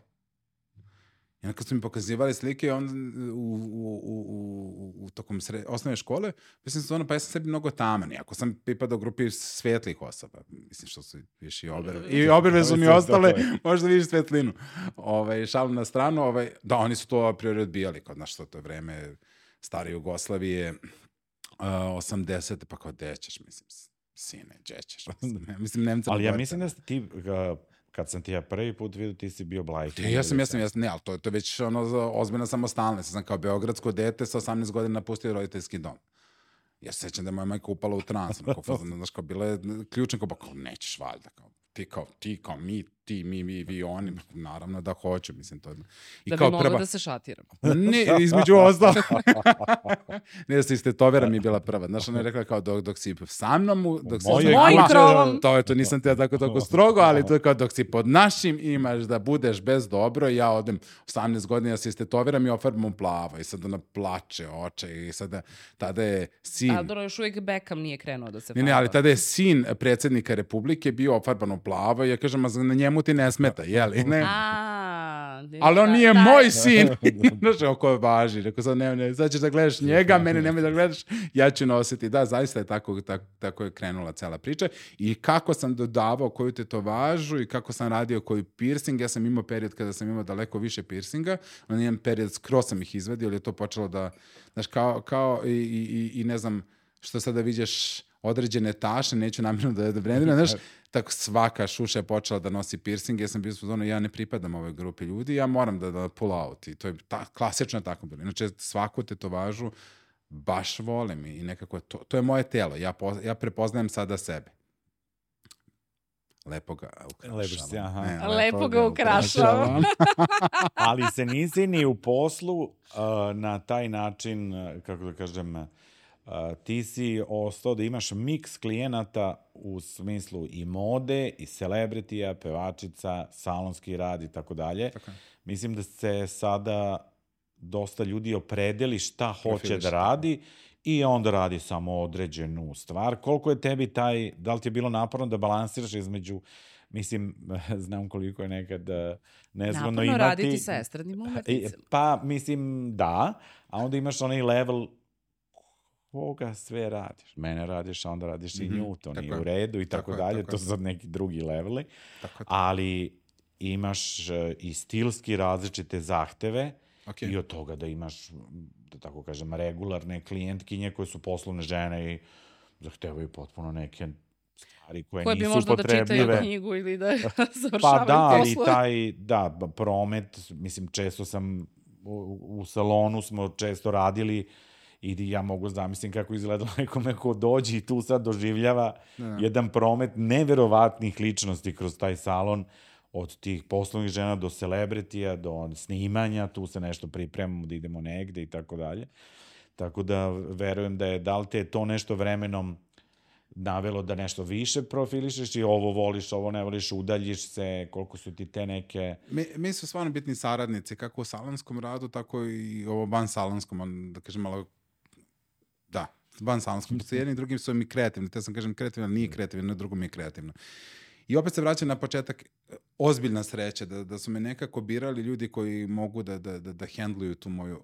I onda kad su mi pokazivali slike on, u, u, u, u, u tokom sred, osnovne škole, mislim se ono, pa ja sam sebi mnogo taman. Iako sam pripadao grupi svetlih osoba. Mislim što su viš i oberve. I oberve su mi ostale, možda vidiš svetlinu. Ovaj, šalim na stranu, ovaj, da, oni su to a priori odbijali, kod naš to je vreme stare Jugoslavije, uh, osamdesete, pa kao dećeš, mislim, sine, džećeš. Mislim, Nemca. Ali ja mislim da ste ti... Uh, kad sam ti ja prvi put vidio, ti si bio blajki. Ja sam, ja sam, ja sam, ne, ali to, to je već ono ozbiljna samostalnost. Ja sam kao beogradsko dete sa osamnaest godina napustio roditeljski dom. Ja se sećam da je moja majka upala u trans. Ono, kao, znaš, kao bila je ključna, kao, kao nećeš valjda, kao, ti kao, ti kao, mi, ti, mi, mi, vi, oni, naravno da hoću, mislim, to je. I da kao bi mogla prva... da se šatiram. Ne, između ostalo. Ne, da se istetovera mi je bila prva. Znaš, ona je rekla kao, dok, dok si sa mnom, dok si mojim krovom. To je to, nisam te ja tako tako strogo, ali to je kao, dok si pod našim imaš da budeš bez dobro, ja odem osamnaest godina, ja se istetoviram i ofarbam plavo. I sad ona plače oče i sada, tada je sin... A dobro, još uvijek Beckham nije krenuo da se farba. Ne, ne, ali tada je sin predsjednika Republike bio ofarban u plavo i ja kažem, na njemu ti ne smeta, jeli? Ne? A, ali on nije moj sin. Znaš, oko je važi. Rekao sam, ne, ne, sad ćeš da gledaš njega, mene nemoj da gledaš, ja ću nositi. Da, zaista je tako, tako, tako je krenula cela priča. I kako sam dodavao koju tetovažu i kako sam radio koji piercing, ja sam imao period kada sam imao daleko više piercinga, on imam period, skroz sam ih izvadio, ali je to počelo da, znaš, kao, kao i, i, i ne znam, što sada vidiš određene taše, neću namjerno da, da brendiram, znaš, tako svaka šuša je počela da nosi piercing, ja sam bio ono, ja ne pripadam ovoj grupi ljudi, ja moram da, da pull out i to je ta, klasično tako bilo. Inače, svaku tetovažu baš volim i nekako to, to je moje telo, ja, po, ja prepoznajem sada sebe. Lepo ga ukrašavam. Se, aha. Ne, lepo, lepo ga ukrašavam. Ali se nisi ni u poslu uh, na taj način, kako da kažem, Uh, ti si ostao da imaš miks klijenata u smislu i mode, i celebritija, pevačica, salonski rad i tako dalje. Mislim da se sada dosta ljudi opredeli šta hoće da radi i onda radi samo određenu stvar. Koliko je tebi taj, da li ti je bilo naporno da balansiraš između, mislim, znam koliko je nekad nezgodno imati... Naporno raditi sa estradnim umetnicima. Pa, mislim, da, a onda imaš onaj level koga sve radiš. Mene radiš, a onda radiš mm-hmm. i nju, to nije u redu i tako, tako dalje. Tako to su sad neki drugi leveli. Tako ali imaš i stilski različite zahteve okay. i od toga da imaš, da tako kažem, regularne klijentkinje koje su poslovne žene i zahtevaju potpuno neke stvari koje, koje nisu potrebljive. Koje bi možda da čitaju knjigu ili da završavaju pa da, ali taj, da, promet, mislim, često sam u, u salonu smo često radili i ja mogu zamislim kako izgledalo nekome ko dođe i tu sad doživljava ne. jedan promet neverovatnih ličnosti kroz taj salon, od tih poslovnih žena do celebritija, do snimanja, tu se nešto pripremamo da idemo negde i tako dalje. Tako da verujem da je, da li te to nešto vremenom navelo da nešto više profilišeš i ovo voliš, ovo ne voliš, udaljiš se, koliko su ti te neke... Mi, mi su stvarno bitni saradnici, kako u salonskom radu, tako i ovo van salonskom, da kažem malo... Da, van salonskom. S jednim drugim su mi kreativni. Te sam kažem kreativno, nije kreativno, drugo mi je kreativno. I opet se vraćam na početak, ozbiljna sreća, da, da su me nekako birali ljudi koji mogu da, da, da, da handluju tu moju...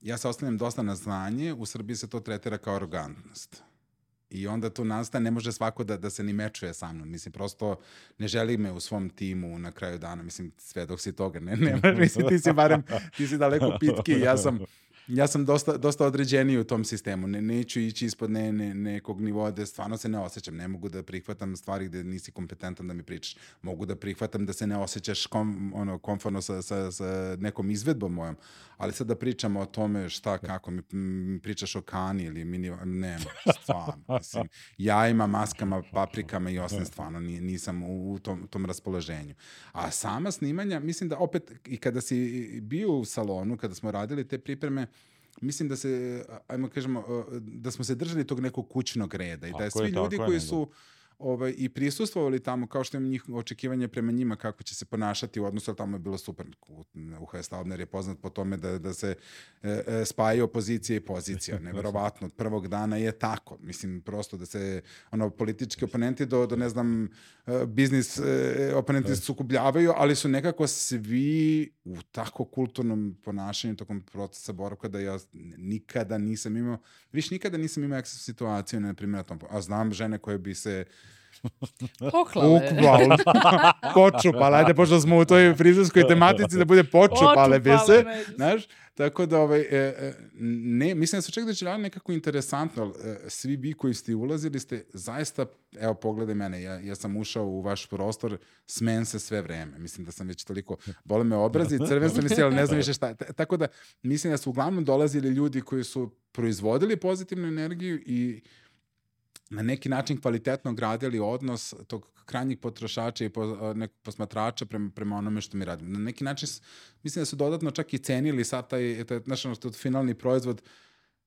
Ja se ostavljam dosta na znanje, u Srbiji se to tretira kao arogantnost. I onda tu nastaje, ne može svako da, da se ni mečuje sa mnom. Mislim, prosto ne želi me u svom timu na kraju dana. Mislim, sve dok si toga ne, ne mislim, ti si barem, ti si daleko pitki, ja sam... Ja sam dosta, dosta određeniji u tom sistemu. Ne, neću ići ispod ne, ne, nekog nivoa da stvarno se ne osjećam. Ne mogu da prihvatam stvari gde nisi kompetentan da mi pričaš. Mogu da prihvatam da se ne osjećaš kom, ono, komfortno sa, sa, sa nekom izvedbom mojom. Ali sad da pričamo o tome šta, kako, mi, mi pričaš o kani ili mini... Ne, stvarno. Mislim, jajima, maskama, paprikama i osnovno stvarno nisam u, u tom, tom raspoloženju. A sama snimanja, mislim da opet i kada si bio u salonu, kada smo radili te pripreme, mislim da se, ajmo kažemo, da smo se držali tog nekog kućnog reda i da je svi ljudi koji su ovaj, i prisustvovali tamo, kao što im njih očekivanje prema njima, kako će se ponašati u odnosu, ali tamo je bilo super. U H S Taubner je poznat po tome da, da se e, e, spajaju opozicija i pozicija. Neverovatno, od prvog dana je tako. Mislim, prosto da se ono, politički oponenti do, do ne znam, biznis e, oponenti sukobljavaju, ali su nekako svi u tako kulturnom ponašanju tokom procesa boravka da ja nikada nisam imao, viš nikada nisam imao ekstra situaciju, na primjer, a znam žene koje bi se poklale. Počupale, ajde, pošto smo u toj frizerskoj tematici da bude počupale bi se, znaš, tako da ovaj, e, ne, mislim da se čak da će nekako interesantno, svi vi koji ste ulazili ste zaista, evo pogledaj mene, ja, ja sam ušao u vaš prostor, smen se sve vreme, mislim da sam već toliko, bole me obrazi, crven sam misli, ali ne znam više šta, tako da mislim da su uglavnom dolazili ljudi koji su proizvodili pozitivnu energiju i na neki način kvalitetno gradili odnos tog krajnjih potrošača i po, nekog posmatrača prema, prema onome što mi radimo. Na neki način, mislim da su dodatno čak i cenili sad taj, taj znaš, taj finalni proizvod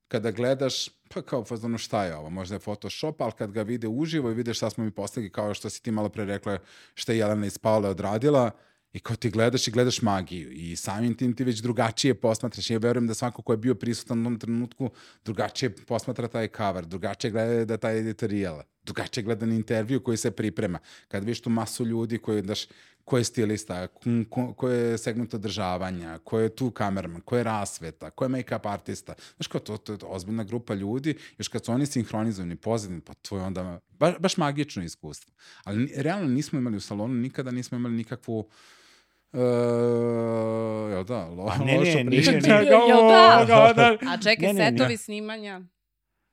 kada gledaš, pa kao fazonu šta je ovo, možda je Photoshop, ali kad ga vide uživo i vidiš šta smo mi postigli, kao što si ti malo pre rekla šta je Jelena iz Paole odradila, i kao ti gledaš i gledaš magiju i samim tim ti već drugačije posmatraš. Ja verujem da svako ko je bio prisutan u tom trenutku drugačije posmatra taj cover, drugačije gleda da taj editorijal, drugačije gleda na intervju koji se priprema. Kad vidiš tu masu ljudi koji daš, ko je stilista, ko, ko je segment održavanja, ko je tu kamerman, ko je rasveta, ko je make-up artista. Znaš kao, to, to je ozbiljna grupa ljudi, još kad su oni sinhronizovani, pozadini, pa to je onda baš, baš magično iskustvo. Ali realno nismo imali u salonu, nikada nismo imali nikakvu Uh, jel da, lo, a ne, loša ne, priča. nije, nije. Jel da? da? A čekaj, ne, ne, setovi ne. snimanja?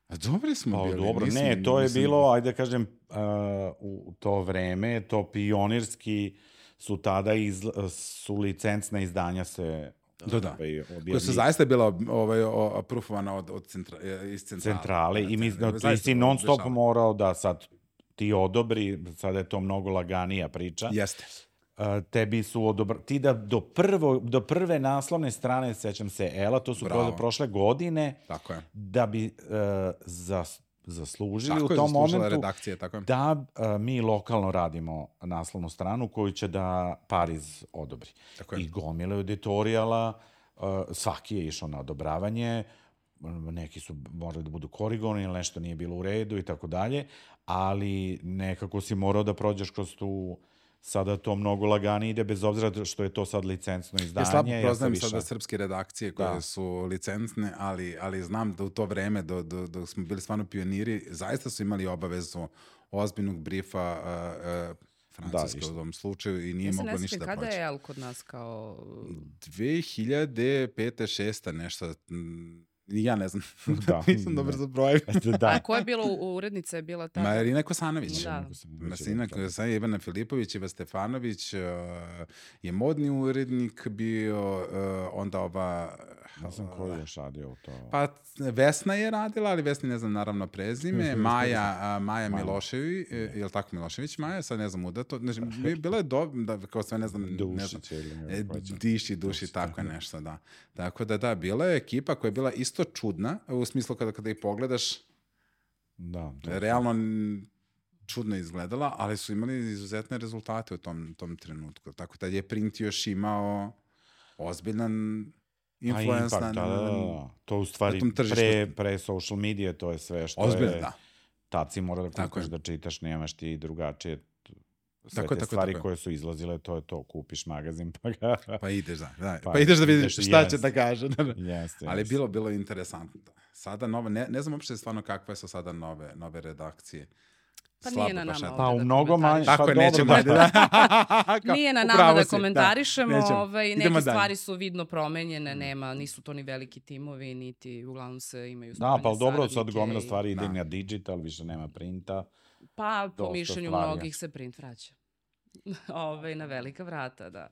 A dobri smo Pa, bili. dobro, nisam, ne, to je nisam... bilo, ajde da kažem, uh, u to vreme, to pionirski su tada iz, su licencna izdanja se Da, da. Ovaj, koja su zaista bila ovaj, aprufovana od, od centra, iz centrale. centrale i mi, no, ti si non stop morao da sad ti odobri, sada je to mnogo laganija priča. Jeste. Uh, tebi su odobr... ti da do, prvo, do prve naslovne strane, sećam se, Ela, to su pro, prošle godine, tako je. Da bi uh, zas, zaslužili tako u tom momentu redakcije, tako je. da uh, mi lokalno radimo naslovnu stranu koju će da Pariz odobri. Tako je. I gomile editorijala, uh, svaki je išao na odobravanje, neki su morali da budu korigovani ili nešto nije bilo u redu i tako dalje, ali nekako si morao da prođeš kroz tu. Sada to mnogo laganije ide, bez obzira što je to sad licencno izdanje. Ja slabo poznajem ja sada srpske redakcije koje da. su licencne, ali, ali znam da u to vreme, dok do, do smo bili stvarno pioniri, zaista su imali obavezu ozbiljnog brifa uh, uh, Francuske da, u tom slučaju i nije ja moglo ništa da proći. Kada je El kod nas kao... dve hiljade pete šeste nešto... Ja ne znam, da, nisam dobro za broj. Da. A ko je bilo, urednica je bila tada? Marina Kosanović. Da. Marina Kosanović, Ivana Filipović, Iva Stefanović, uh, je modni urednik bio, uh, onda ova... Ne znam ko je još radio u to. Pa Vesna je radila, ali Vesni ne znam naravno prezime. Maja, uh, Maja Milošević, je li tako Milošević Maja? Sad ne znam uda to. Znači, bila je do, da, kao sve ne znam... Dušić ili ne znam, Diši, Duši, tako je nešto, da. Tako da da, bila je ekipa koja je bila isto čudna, u smislu kada, kada ih pogledaš, da, realno čudno izgledala, ali su imali izuzetne rezultate u tom, tom trenutku. Tako da je print još imao ozbiljan influence na, da, da, da. To u stvari pre, pre social medije, to je sve što ozbiljno, je... Da. Tad si mora da kupiš, da čitaš, nemaš ti drugačije sve tako, te tako, stvari tako. koje su izlazile, to je to, kupiš magazin pa ga... Pa ideš, da. da. Pa, pa ideš da vidiš šta jest. će da kaže. Da, da. Jeste, ali bilo, bilo interesantno. Sada nove, ne, ne znam uopšte stvarno kakve su sada nove, nove redakcije. Pa nije na nama pa u mnogo manje. Tako pa je, nećemo. Da. Da. Nije na nama da komentarišemo, da, ovaj, neke Idemo stvari su vidno promenjene, nema, nisu to ni veliki timovi, niti uglavnom se imaju spoljne da, pa dobro, sad gomila i... stvari ide na digital, više nema printa. Pa po mišljenju mnogih se print vraća. Ove, na velika vrata, da.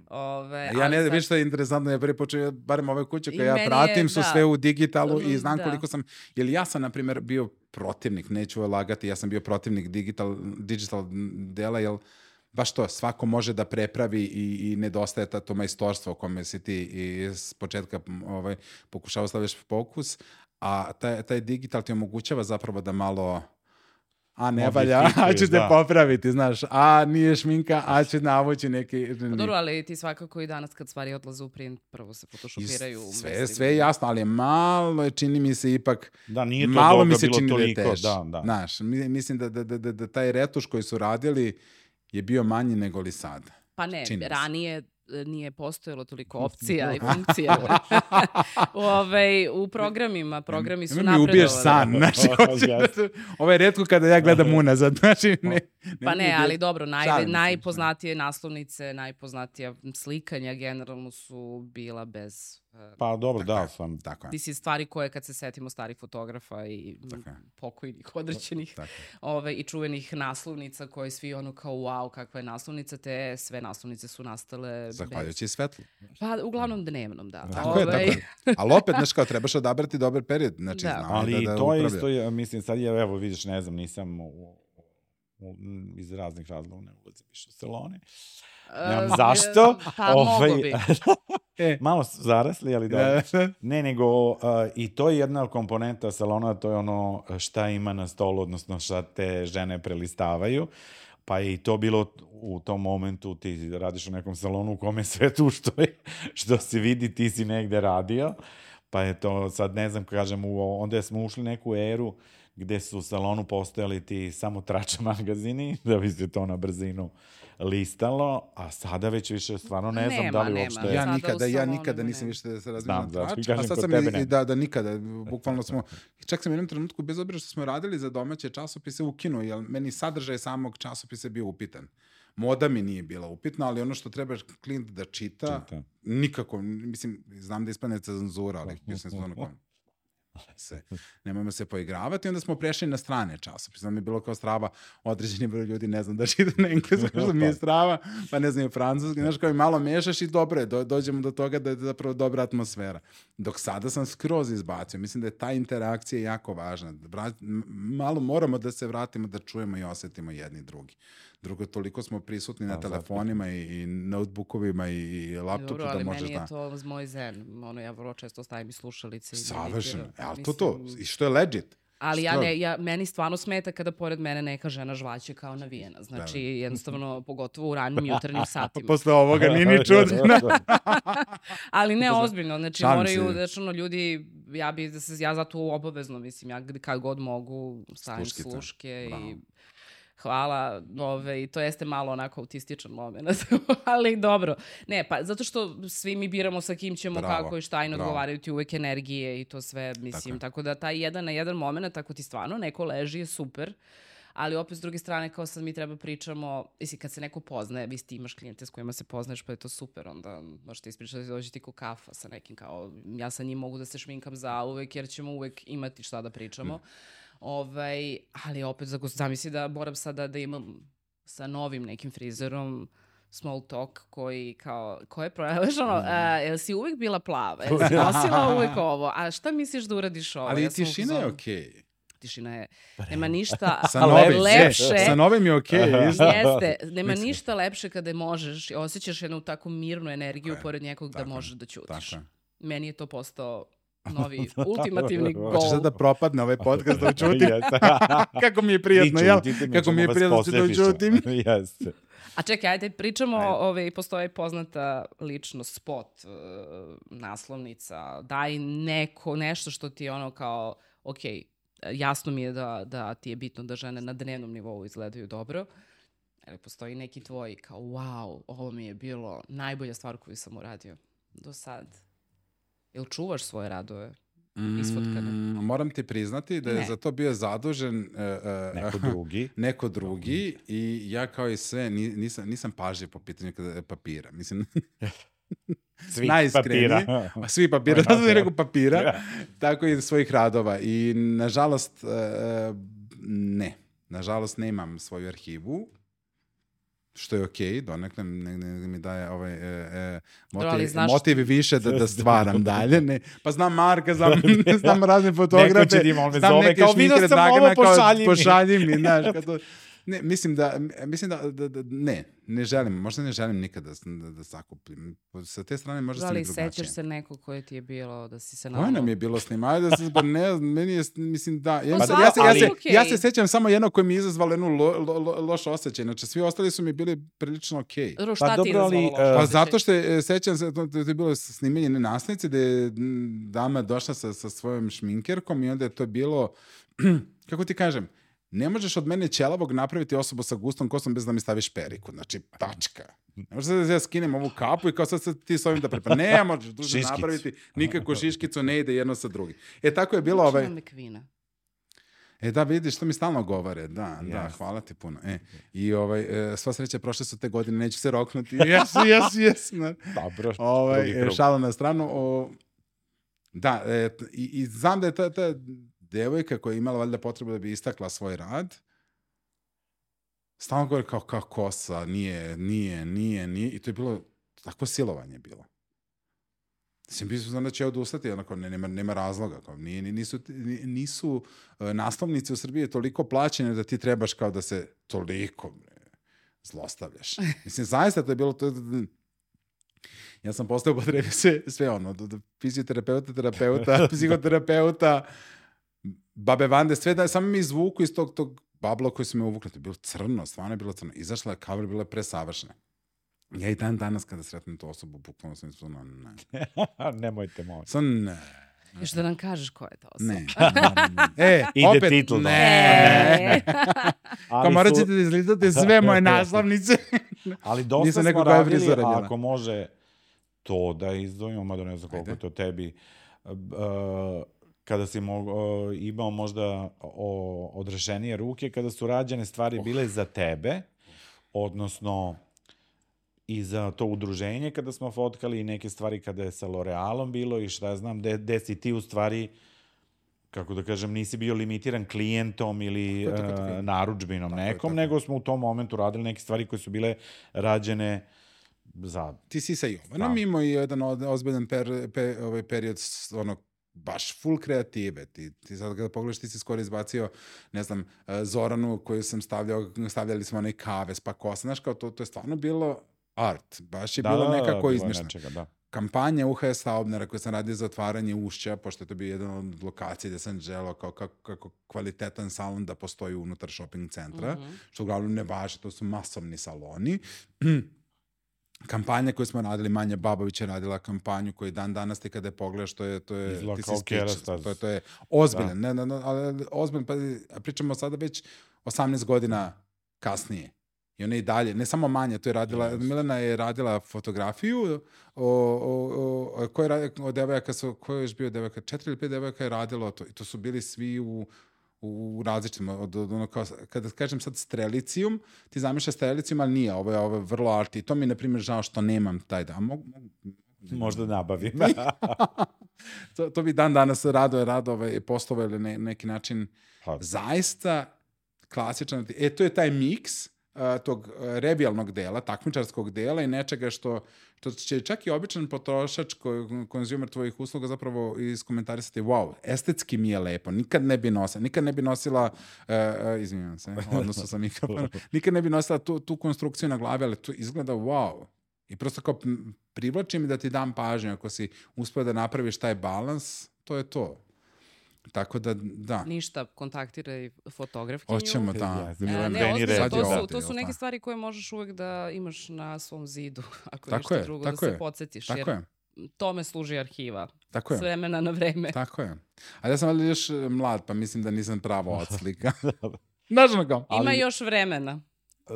Ove, ja ne, sad... viš što je interesantno, ja prvi počeo, barem ove kuće koje ja pratim je, su da. sve u digitalu i znam da. koliko sam, jer ja sam, na primjer, bio protivnik, neću lagati, ja sam bio protivnik digital, digital dela, jer baš to, svako može da prepravi i, i nedostaje to majstorstvo o kome si ti iz početka ovaj, pokušao stavljaš fokus, a taj, taj digital ti omogućava zapravo da malo a ne valja, a ću te da. popraviti, znaš, a nije šminka, a ću navući neki... Pa dobro, ali ti svakako i danas kad stvari odlaze u print, prvo se photoshopiraju. I sve, sve je jasno, ali malo je, čini mi se ipak, Da, nije to malo dobro mi se bilo čini toliko, da je teže. da, da. Znaš, mi- mislim da, da, da, da, da taj retuš koji su radili je bio manji nego li sada. Pa ne, Čini mi se. ranije e, nije postojalo toliko opcija i funkcija. Ove, u programima, programi su Nemoj mi napredovali. ubiješ san, znači, hoću da se- ovo je retko kada ja gledam unazad, znači, ne, Pa mi ne, ubiješ- ali dobro, naj, Šalim se, najpoznatije naslovnice, najpoznatija slikanja generalno su bila bez... e, Pa dobro, Tako da, je. sam... Tako je, Ti si stvari koje kad se setimo starih fotografa i m, Tako je. pokojnih određenih tako je. ove, i čuvenih naslovnica koje svi ono kao wow, kakva je naslovnica, te sve naslovnice su nastale bez... Zahvaljujući svetlu. Pa uglavnom dnevnom, da. Tako je, tako Ovaj, je. Ali opet, znaš kao, trebaš odabrati dobar period, znači, Da. znamo Ali da, da to je upravlja. isto, je, mislim, sad je, evo, vidiš, ne znam, nisam u, u, iz raznih razloga ne ulazim više u salone. Nemam e, zašto. Pa Ovaj, mogo bi. E, Malo su zarasli, ali dobro. da, Ne, nego uh, i to je jedna komponenta salona, to je ono šta ima na stolu, odnosno šta te žene prelistavaju. Pa je i to bilo u tom momentu, ti radiš u nekom salonu u kome sve tu što, je, što se vidi, ti si negde radio. Pa je to, sad ne znam, kažem, u, onda smo ušli neku eru gde su u salonu postojali ti samo trač magazini, da bi se to na brzinu listalo, a sada već više stvarno ne znam Nema, da li nema. uopšte... ja Sada u nikada, ja salonu nikada nema. nisam više da se Znam, razmišljam zato trač, ti kažem, a sad kod sam tebe i, ne. da, da nikada, bukvalno smo, čak sam u jednom trenutku, bez obzira što smo radili za domaće časopise, ukinuo, jer meni sadržaj samog časopisa je bio upitan. Moda mi nije bila upitna, ali ono što treba klijent da čita, Čita. nikako, mislim, znam da ispane cenzura, ali bio sam stvarno kao, se, nemojmo se poigravati, onda smo prešli na strane časopise. Nam je bilo kao strava, određeni broj ljudi ne znam da čita na engleskom, što mi je strava, pa ne znam i francuski, znaš, kao i malo mešaš i dobro je, do, dođemo do toga da je zapravo dobra atmosfera. Dok sada sam skroz izbacio, mislim da je ta interakcija jako važna. Vra- m- malo moramo da se vratimo, da čujemo i osetimo jedni drugi. Drugo, toliko smo prisutni na Da, telefonima i, i notebookovima i, i laptopu Dobro, da ali možeš meni je da... to moj zen. Ono, ja vrlo često stavim i slušalice. i Savršeno. meditiram. Ali to to, Mislim, i što je legit. Ali ja Skroz. ne, ja, meni stvarno smeta kada pored mene neka žena žvaće kao navijena. Znači, jednostavno, pogotovo u ranim jutarnjim satima. Posle ovoga nije ni čudno. Ali ne ozbiljno, znači Šalim moraju, se. znači ono, ljudi, ja bi, da se, ja zato obavezno, mislim, ja gde- kad god mogu stavim Sluškice. sluške Bravo. i hvala, ove, i to jeste malo onako autističan moment, ali dobro. Ne, pa zato što svi mi biramo sa kim ćemo, Bravo, kako i šta i ne bravo. odgovaraju ti uvek energije i to sve, mislim, je. tako, da taj jedan na jedan moment, tako ti stvarno neko leži je super, ali opet s druge strane, kao sad mi treba pričamo, mislim, kad se neko poznaje, vi ti imaš klijente s kojima se poznaješ, pa je to super, onda možete ispričati, dođi ti ko kafa sa nekim, kao, ja sa njim mogu da se šminkam za uvek, jer ćemo uvek imati šta da pričamo. Ovaj, ali opet, zako- zamisli da moram sada da imam sa novim nekim frizerom small talk koji kao, ko je proleš, ono, a, jel si uvek bila plava, jel si nosila uvek ovo, a šta misliš da uradiš ovo? Ali Ja i sam u tišina je fazonu, okej. Tišina je, nema ništa Sa novim, lepše. sa novim je okej. isto. Jeste, nema Mislim. ništa lepše kada možeš i osjećaš jednu takvu mirnu energiju Tako je, pored nekog da tako je, možeš da ćutiš. Tako je. Meni je to postao novi, ultimativni gol. Hoćeš sad da propadne ovaj podcast da učutim? Jeste. Kako mi je prijatno, Vi jel? ćutite, mi Kako mi ćemo je vas prijatno da poslepišemo. učutim. Jeste. A čekaj, ajde, pričamo, Ajde. ove, postoji poznata ličnost, spot, uh, naslovnica, daj neko, nešto što ti je ono kao, ok, jasno mi je da, da ti je bitno da žene na dnevnom nivou izgledaju dobro, ali postoji neki tvoj kao, wow, ovo mi je bilo najbolja stvar koju sam uradio do sad. Jel čuvaš svoje radove? Isfotkane. Mm, moram ti priznati da je Ne. za to bio zadužen uh, uh, Neko drugi. neko drugi i ja kao i sve ni- nisam, nisam pažljiv po pitanju kada- papira. Mislim, Svi najiskreniji. papira. Ma, svi papira, da sam rekao papira, tako i svojih radova. I nažalost, uh, ne. Nažalost, nemam svoju arhivu, što je okej, donekle ne, ne, mi daje ovaj, e, e, Dobro, ali motiv, znaš- motiv više da, da stvaram dalje. Ne. Pa znam Marka, znam, znam razne Neko fotografe, će da ima, on me znam zove, neke kao, šminkere vidio sam Dragana, ovo, kao, pošalji mi. pošalji mi, znaš, kad to, Ne, mislim da, mislim da, da, da ne, ne želim, možda ne želim nikada da, da zakupim. Sa te strane možda sam i drugačije. Ali sećaš se neko koje ti je bilo da si se Koje nam je bilo snimanje, da se, ne, meni je, mislim da, ja, Pa ja, da, se, ja, ali se, okej. ja se sećam samo jedno koje mi je izazvalo jednu lo, lo, lo, loš osjećaj, znači svi ostali su mi bili prilično okej. Okay. Dobro, šta Pa ti je dobro, ali, izazvalo loš e, Pa osjećaj? zato što je, sećam se, to, to je bilo snimanje na nastavnici gde je m, dama došla sa, sa svojom šminkerkom i onda je to bilo, kako ti kažem, ne možeš od mene ćelavog napraviti osobu sa gustom kosom bez da mi staviš periku. Znači, tačka. Ne možeš da ja skinem ovu kapu i kao sad, sad ti s ovim da prepa. Ne možeš duže Šiškicu. napraviti. Nikako šiškicu ne ide jedno sa drugim. E, tako je bilo Znači ovaj... nam je kvina. E da, vidiš, to mi stalno govore. Da, da, Yes. hvala ti puno. E, i ovaj, e, sva sreća, prošle su te godine, neću se roknuti. Jes, jes, jes. Ne. Dobro, drugi Ovaj, e, krug. šalu na stranu. O, da, e, t- i, i znam da je ta, ta devojka koja je imala valjda potrebu da bi istakla svoj rad, stalno govori kao, kao kosa, nije, nije, nije, nije. I to je bilo, takvo silovanje bilo. Mislim, bi su znam da će odustati, onako, ne, nema, nema razloga. Kao, nije, nisu, nisu uh, naslovnice u Srbiji toliko plaćene da ti trebaš kao da se toliko bre, zlostavljaš. Mislim, zaista to je bilo... To, ja sam postao upotrebio sve, sve ono, do, do fizioterapeuta, terapeuta, psihoterapeuta, babe Vande, sve da samo mi izvuku iz tog, tog babla koji su me uvukli. To je bilo crno, stvarno je bilo crno. Izašla je cover, bila je presavršena. Ja i dan danas kada sretnem tu osobu, bukvalno sam izvrlo, ne. Nemojte, molim. Sam ne. Još da nam kažeš ko je ta osoba. Ne. E, Ide opet, titl, da. ne. E. Kao morat ćete da izgledate sve moje naslovnice. Ali dosta Nisam smo neko koja je radili, frizura bila. ako može to da izdvojimo, mada ne znam koliko Ajde. je to tebi, uh, kada si mo, uh, imao možda o, odrešenije ruke, kada su rađene stvari bile za tebe, odnosno i za to udruženje kada smo fotkali i neke stvari kada je sa L'Orealom bilo i šta ja znam, gde, gde si ti u stvari, kako da kažem, nisi bio limitiran klijentom ili Tako je, tako je, tako je. uh, narudžbinom Tako je, nekom, tako je. nego smo u tom momentu radili neke stvari koje su bile rađene za... Ti si sa Jovanom Da. imao i jedan od- ozbiljan per, pe, ovaj period s- ono, baš full kreative. Ti, ti sad kada pogledaš, ti si skoro izbacio, ne znam, eh, Zoranu koju sam stavljao, stavljali smo onaj kave, pa kosa, znaš, kao to, to je stvarno bilo art. Baš je Da, bilo da, da, nekako bilo je izmišljeno. nečega, da. Kampanja U H S Saubnera koju sam radio za otvaranje Ušća, pošto je to bio jedan od lokacija gde sam želao kao kako, kako kvalitetan salon da postoji unutar shopping centra, Mhm. što uglavnom ne važi, to su masovni saloni. Kampanja koju smo radili, Manja Babović je radila kampanju koju dan danas ti kada je pogledaš, to je, to je, Izgleda ti si kao speechless. Kerastaz. To je, to je ozbiljan, ne, ne, ne, ali ozbiljan, pa pričamo sada već osamnaest godina kasnije. I ona i dalje, ne samo Manja, to je radila, Yes. Milena je radila fotografiju, o, o, o, ko je radio, od devojaka su, ko je još bio devojaka, četiri ili pet devojaka je radilo to, i to su bili svi u, u različitim, od, od ono kao, kada kažem sad strelicijum, ti zamišljaš strelicijum, ali nije, ovo je, ovo je vrlo arti. I to mi je, na primjer, žao što nemam taj da. Mogu, mogu, Možda nabavim. to, to bi dan danas rado, rado ovaj, postovao ili ne, neki način Pa, zaista klasičan. E, to je taj miks uh, tog uh, revijalnog dela, takmičarskog dela i nečega što, što će čak i običan potrošač, ko, konzumer tvojih usluga zapravo iskomentarisati, wow, estetski mi je lepo, nikad ne bi nosila, nikad ne bi nosila, uh, uh, izvinjam se, odnosno sa mikrofonom, nikad ne bi nosila tu, tu konstrukciju na glavi, ali to izgleda wow. I prosto kao m, privlači mi da ti dam pažnju, ako si uspio da napraviš taj balans, to je to. Tako da, da. Ništa, kontaktiraj fotografkinju. Hoćemo, da. Ja, E, Milena, ne, Deni ozbiljno, Red, to, da. su, to su jel neke da? stvari koje možeš uvek da imaš na svom zidu, ako Tako ništa je, drugo, tako da je. se podsjetiš. Tako jer je, tome služi arhiva. tako S je, vremena na vreme. tako je. Ali ja sam valjda još e, mlad, pa mislim da nisam pravo odslika. Znaš ono kao? Ima ali- još vremena.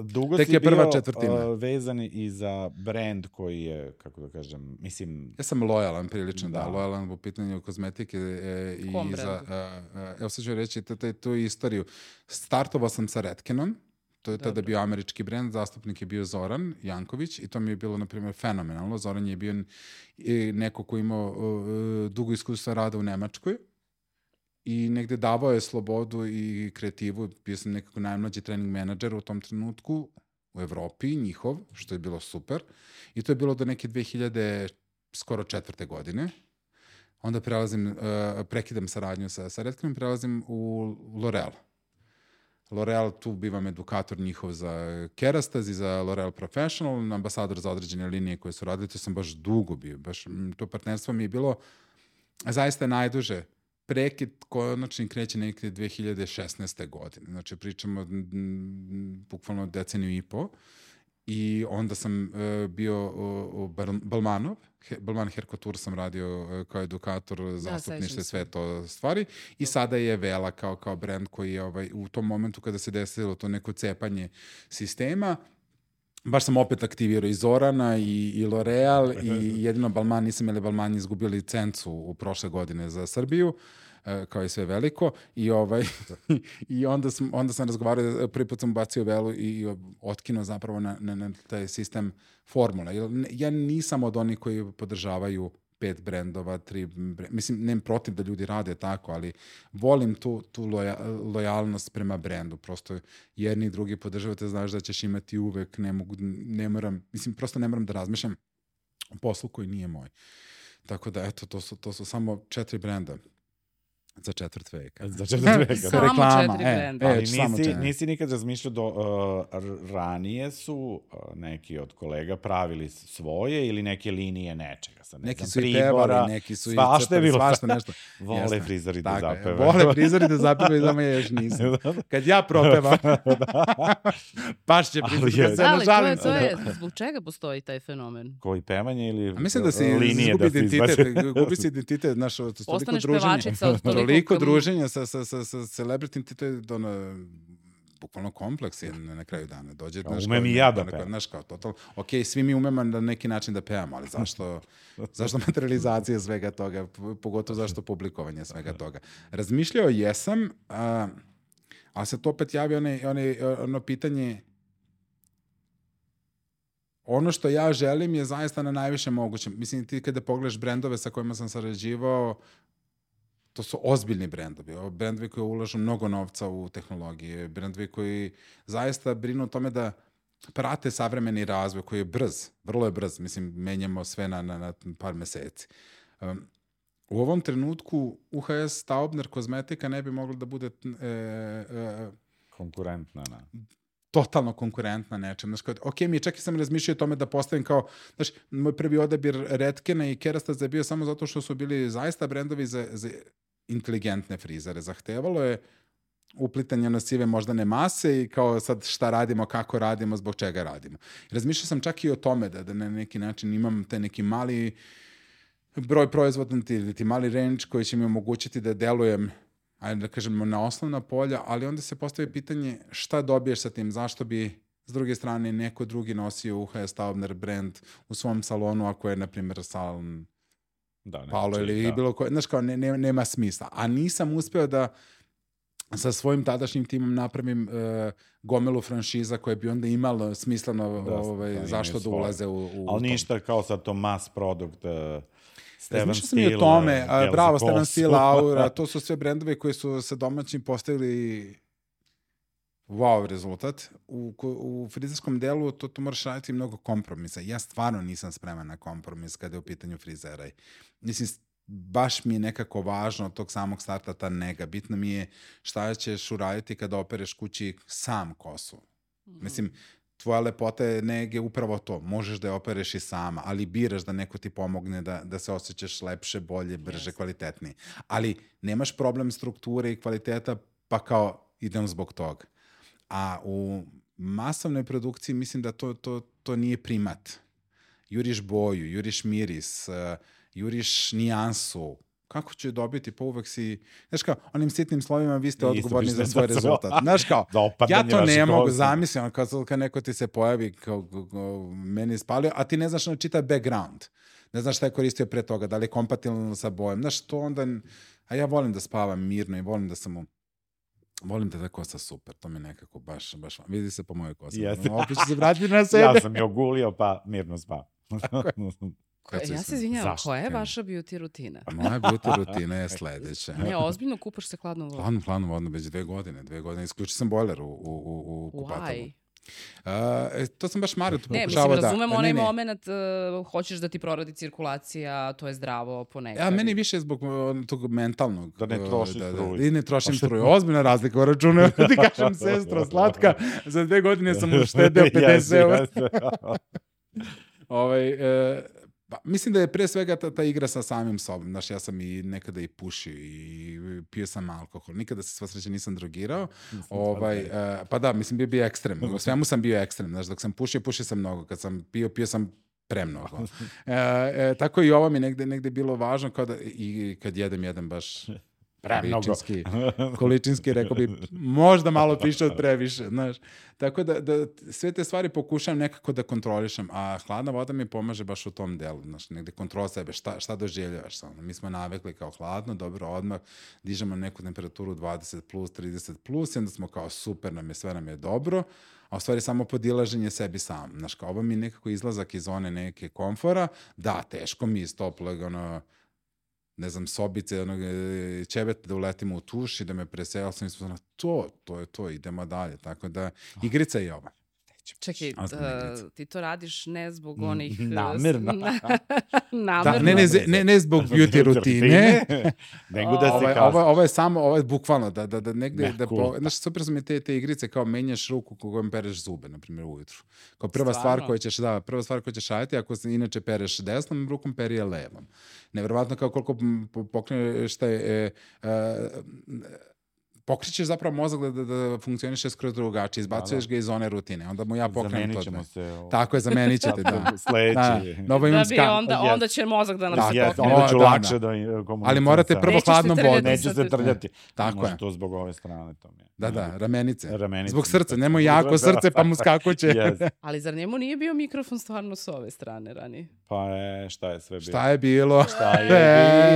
Dugo Tek si je prva bio četvrtina. uh, vezan i za brand koji je, kako da kažem, mislim, Ja sam lojalan prilično, da, Da. lojalan u pitanju kozmetike e, i Kom za, brendu? e, e, evo sad ću reći t- t- tu istoriju. Startovao sam sa Redkenom, to je tada Dobro. bio američki brend, zastupnik je bio Zoran Janković i to mi je bilo, na primjer, fenomenalno. Zoran je bio e, neko ko je imao e, dugo iskustva rada u Nemačkoj i negde davao je slobodu i kreativu. Bio sam nekako najmlađi trening menadžer u tom trenutku u Evropi, njihov, što je bilo super. I to je bilo do neke dve hiljade skoro četvrte godine. Onda prelazim, uh, prekidam saradnju sa, sa Redkenom, prelazim u L'Oreal. L'Oreal, tu bivam edukator njihov za Kerastase i za L'Oreal Professional, ambasador za određene linije koje su radili, to sam baš dugo bio, baš to partnerstvo mi je bilo zaista najduže. Prekid konačni kreće nekde dve hiljade šesnaeste. godine, znači pričamo m, bukvalno deceniju i po. I onda sam uh, bio u, u Balmanov, He, Balman Hair Couture sam radio uh, kao edukator, zastupništvo, sve to stvari. I sada je Vela kao, kao brand koji je ovaj, u tom momentu kada se desilo to neko cepanje sistema, baš sam opet aktivirao i Zorana i, i L'Oreal i jedino Balman, nisam ili Balman izgubio licencu u prošle godine za Srbiju, kao i sve veliko, i ovaj i onda sam onda sam razgovarao, prvi put sam bacio Velu i, i otkinuo zapravo na, na, na taj sistem formula. Ja nisam od onih koji podržavaju pet brendova, tri brend, mislim, nemam protiv da ljudi rade tako, ali volim tu, tu loja, lojalnost prema brendu. Prosto jedni i drugi podržavate, znaš da ćeš imati uvek, ne mogu, ne moram, mislim, prosto ne moram da razmišljam o poslu koji nije moj. Tako da, eto, to su, to su samo četiri brenda. Za četvrt veka. Za četvrt veka. Samo reklama. četiri E, brenda. e, Ali samo nisi, četiri. nisi nikad razmišljao do, uh, ranije su uh, neki od kolega pravili svoje ili neke linije nečega. Sad, ne Neki znam, su i pribora, pevali, neki su i svašta je crtali, bilo. svašta nešto. Vole Jasno. frizeri da Tako je. zapevaju. Vole frizeri da zapevaju, da me još nisam. Kad ja propevam, baš će Ali frizeri, je. kad se Da, ali to nažalim je, se. to je, zbog čega postoji taj fenomen? Koji pevanje ili A mislim da se linije izgubi da se identitet, izbače? gubi se identitet, znaš, to toliko Postaneš druženje. pevačica od toliko... Toliko kam- druženja sa, sa, sa, sa celebritim, to je ono, bukvalno kompleks je na, na kraju dana. Dođe, Kao, znaš, umem kao- i ja da kao- pevam. Znaš, kao, total, ok, svi mi umemo na neki način da pevamo, ali zašto, zašto materializacija svega toga, p- pogotovo zašto publikovanje svega toga. Razmišljao jesam, a, ali se to opet javi one, one, ono pitanje, ono što ja želim je zaista na najviše mogućem. Mislim, ti kada pogledaš brendove sa kojima sam sarađivao, to su ozbiljni brendovi. Ovo brendovi koji ulažu mnogo novca u tehnologije, brendovi koji zaista brinu o tome da prate savremeni razvoj koji je brz, vrlo je brz. Mislim, menjamo sve na, na, na par meseci. Um, u ovom trenutku U H S Taubner kozmetika ne bi mogla da bude e, e, Konkurentna, na. totalno konkurentna nečem. Znaš, kao, ok, mi čak i sam razmišljao o tome da postavim kao, znaš, moj prvi odabir Redkena i Kerastase je bio samo zato što su bili zaista brendovi za, za inteligentne frizere. Zahtevalo je uplitanje na sive moždane mase i kao sad šta radimo, kako radimo, zbog čega radimo. Razmišljao sam čak i o tome da, da na neki način imam te neki mali broj proizvodna ili ti mali range koji će mi omogućiti da delujem, ajde da kažemo, na osnovna polja, ali onda se postavi pitanje šta dobiješ sa tim, zašto bi s druge strane neko drugi nosio U H S Taubner brand u svom salonu ako je, na primjer, salon Da, ne, Paolo ili da. bilo koje, znaš kao, ne, ne, nema smisla. A nisam uspeo da sa svojim tadašnjim timom napravim uh, gomilu franšiza koje bi onda imalo smisleno Da, ovaj, da, zašto imaju da svoje. ulaze u, u Ali tom. ništa kao sad to mass product, uh, Steven Razmišljao sam i o Steele, tome, uh, a, gel bravo, za Steven kosu. Steele, Aura, to su sve brendovi koji su sa domaćim postavili wow rezultat. U, ko- u frizerskom delu to, to moraš raditi mnogo kompromisa. Ja stvarno nisam spreman na kompromis kada je u pitanju frizera. I, mislim, baš mi je nekako važno od tog samog starta ta nega. Bitno mi je šta ćeš uraditi kada opereš kući sam kosu. Mislim, tvoja lepota je nege upravo to. Možeš da je opereš i sama, ali biraš da neko ti pomogne da, da se osjećaš lepše, bolje, brže, kvalitetnije. Ali nemaš problem strukture i kvaliteta, pa kao idem zbog toga. A u masovnoj produkciji mislim da to, to, to nije primat. Juriš boju, juriš miris, uh, juriš nijansu. Kako ću je dobiti? Pa uvek si... Znaš kao, onim sitnim slovima vi ste Isto odgovorni za piše svoj za rezultat. sve. Znaš kao, Za ja opadanje to ne vaših mogu kosa. zamisliti, ono, kad, kad neko ti se pojavi kao, kao, kao meni je spalio, a ti ne znaš ono čita background. Ne znaš šta je koristio pre toga, da li je kompatibilno sa bojem. Znaš, to onda... A ja volim da spavam mirno i volim da sam u... Volim da je ta kosa super, to mi nekako baš, baš... Vidi se po mojoj kosi. Jeste. Opet ću se vratiti na sebe. Ja sam je ogulio, pa mirno spao. Kad se Ja sam- se izvinjavam, Zašto? koja je vaša beauty rutina? Moja beauty rutina je sledeća. Ne, ozbiljno kupaš se hladnom vodom. Hladno, hladno vodno, već dve godine. Dve godine. Isključio sam bojler u, u, u, u kupatalu. Why? Uh, to sam baš Mario tu Ne, pokušavao mislim, da... razumem ne, onaj ne. moment, uh, hoćeš da ti proradi cirkulacija, to je zdravo ponekad. Ja, meni više zbog uh, tog mentalnog. Da ne uh, trošiš da, struju. da, I ne trošim struju. Ozbiljna razlika u računu. Ti kažem, sestro, slatka, za dve godine sam uštedeo pedeset eura. ovaj, uh, Pa, mislim da je pre svega ta, ta igra sa samim sobom. Znaš, ja sam i nekada i pušio i pio sam alkohol. Nikada se sva sreća nisam drogirao. Ovaj, uh, pa da, mislim, bio bi ekstrem. U svemu sam bio ekstrem. Znaš, dok sam pušio, pušio sam mnogo. Kad sam pio, pio sam premnogo. E, e, tako i ovo mi negde, negde bilo važno kao da, i kad jedem, jedem baš količinski, količinski, rekao bi, možda malo piše od previše, znaš. Tako da, da sve te stvari pokušam nekako da kontrolišem, a hladna voda mi pomaže baš u tom delu, znaš, negde kontrola sebe, šta, šta doživljavaš. Ono. Mi smo navikli kao hladno, dobro, odmah dižemo neku temperaturu dvadeset plus, trideset plus, i onda smo kao super, nam je, sve nam je dobro, a u stvari samo podilaženje sebi sam. Znaš, kao ovo mi nekako izlazak iz zone neke komfora, da, teško mi iz toplog, ono, ne znam, sobice, onog, ćebeta da uletimo u tuš i da me presela sam i smo na to, to je to, idemo dalje. Tako da, igrica je ova. Čekaj, uh, ti to radiš ne zbog onih... Namerno. Namerno. Da, ne, ne, ne, ne zbog beauty rutine. Nego da se ovo, kao... ovo, ovo je samo, ovo je bukvalno, da, da, da negde... Ne, da cool. po, znaš, super su mi te, te igrice, kao menjaš ruku kojom pereš zube, na primjer, ujutru. Kao prva Stvarno? stvar koju ćeš, da, prva stvar koju ćeš raditi, ako se inače pereš desnom rukom, peri je levom. Neverovatno kao koliko pokreneš šta je... E, e, pokričeš zapravo mozak da, da, da funkcioniše skroz drugačije, izbacuješ da, da. ga iz zone rutine, onda mu ja pokrenem to. Zamenit ćemo se. O... Tako je, zamenit ćete, da. Sledeći. Da, da, da bi onda, onda će mozak da nam da, se yes, pokrene. onda ću da, lakše da, da komuniciram. Ali morate prvo Nećeš hladnom vodom. Neće se trljati. Tako Može je. to zbog ove strane. To mi je. Da, da, ramenice. Ramenice. Zbog srca, nemoj jako srce pa mu skakuće. Yes. Ali zar njemu nije bio mikrofon stvarno s ove strane ranije? Pa je, šta je sve bilo? Šta je bilo? Šta je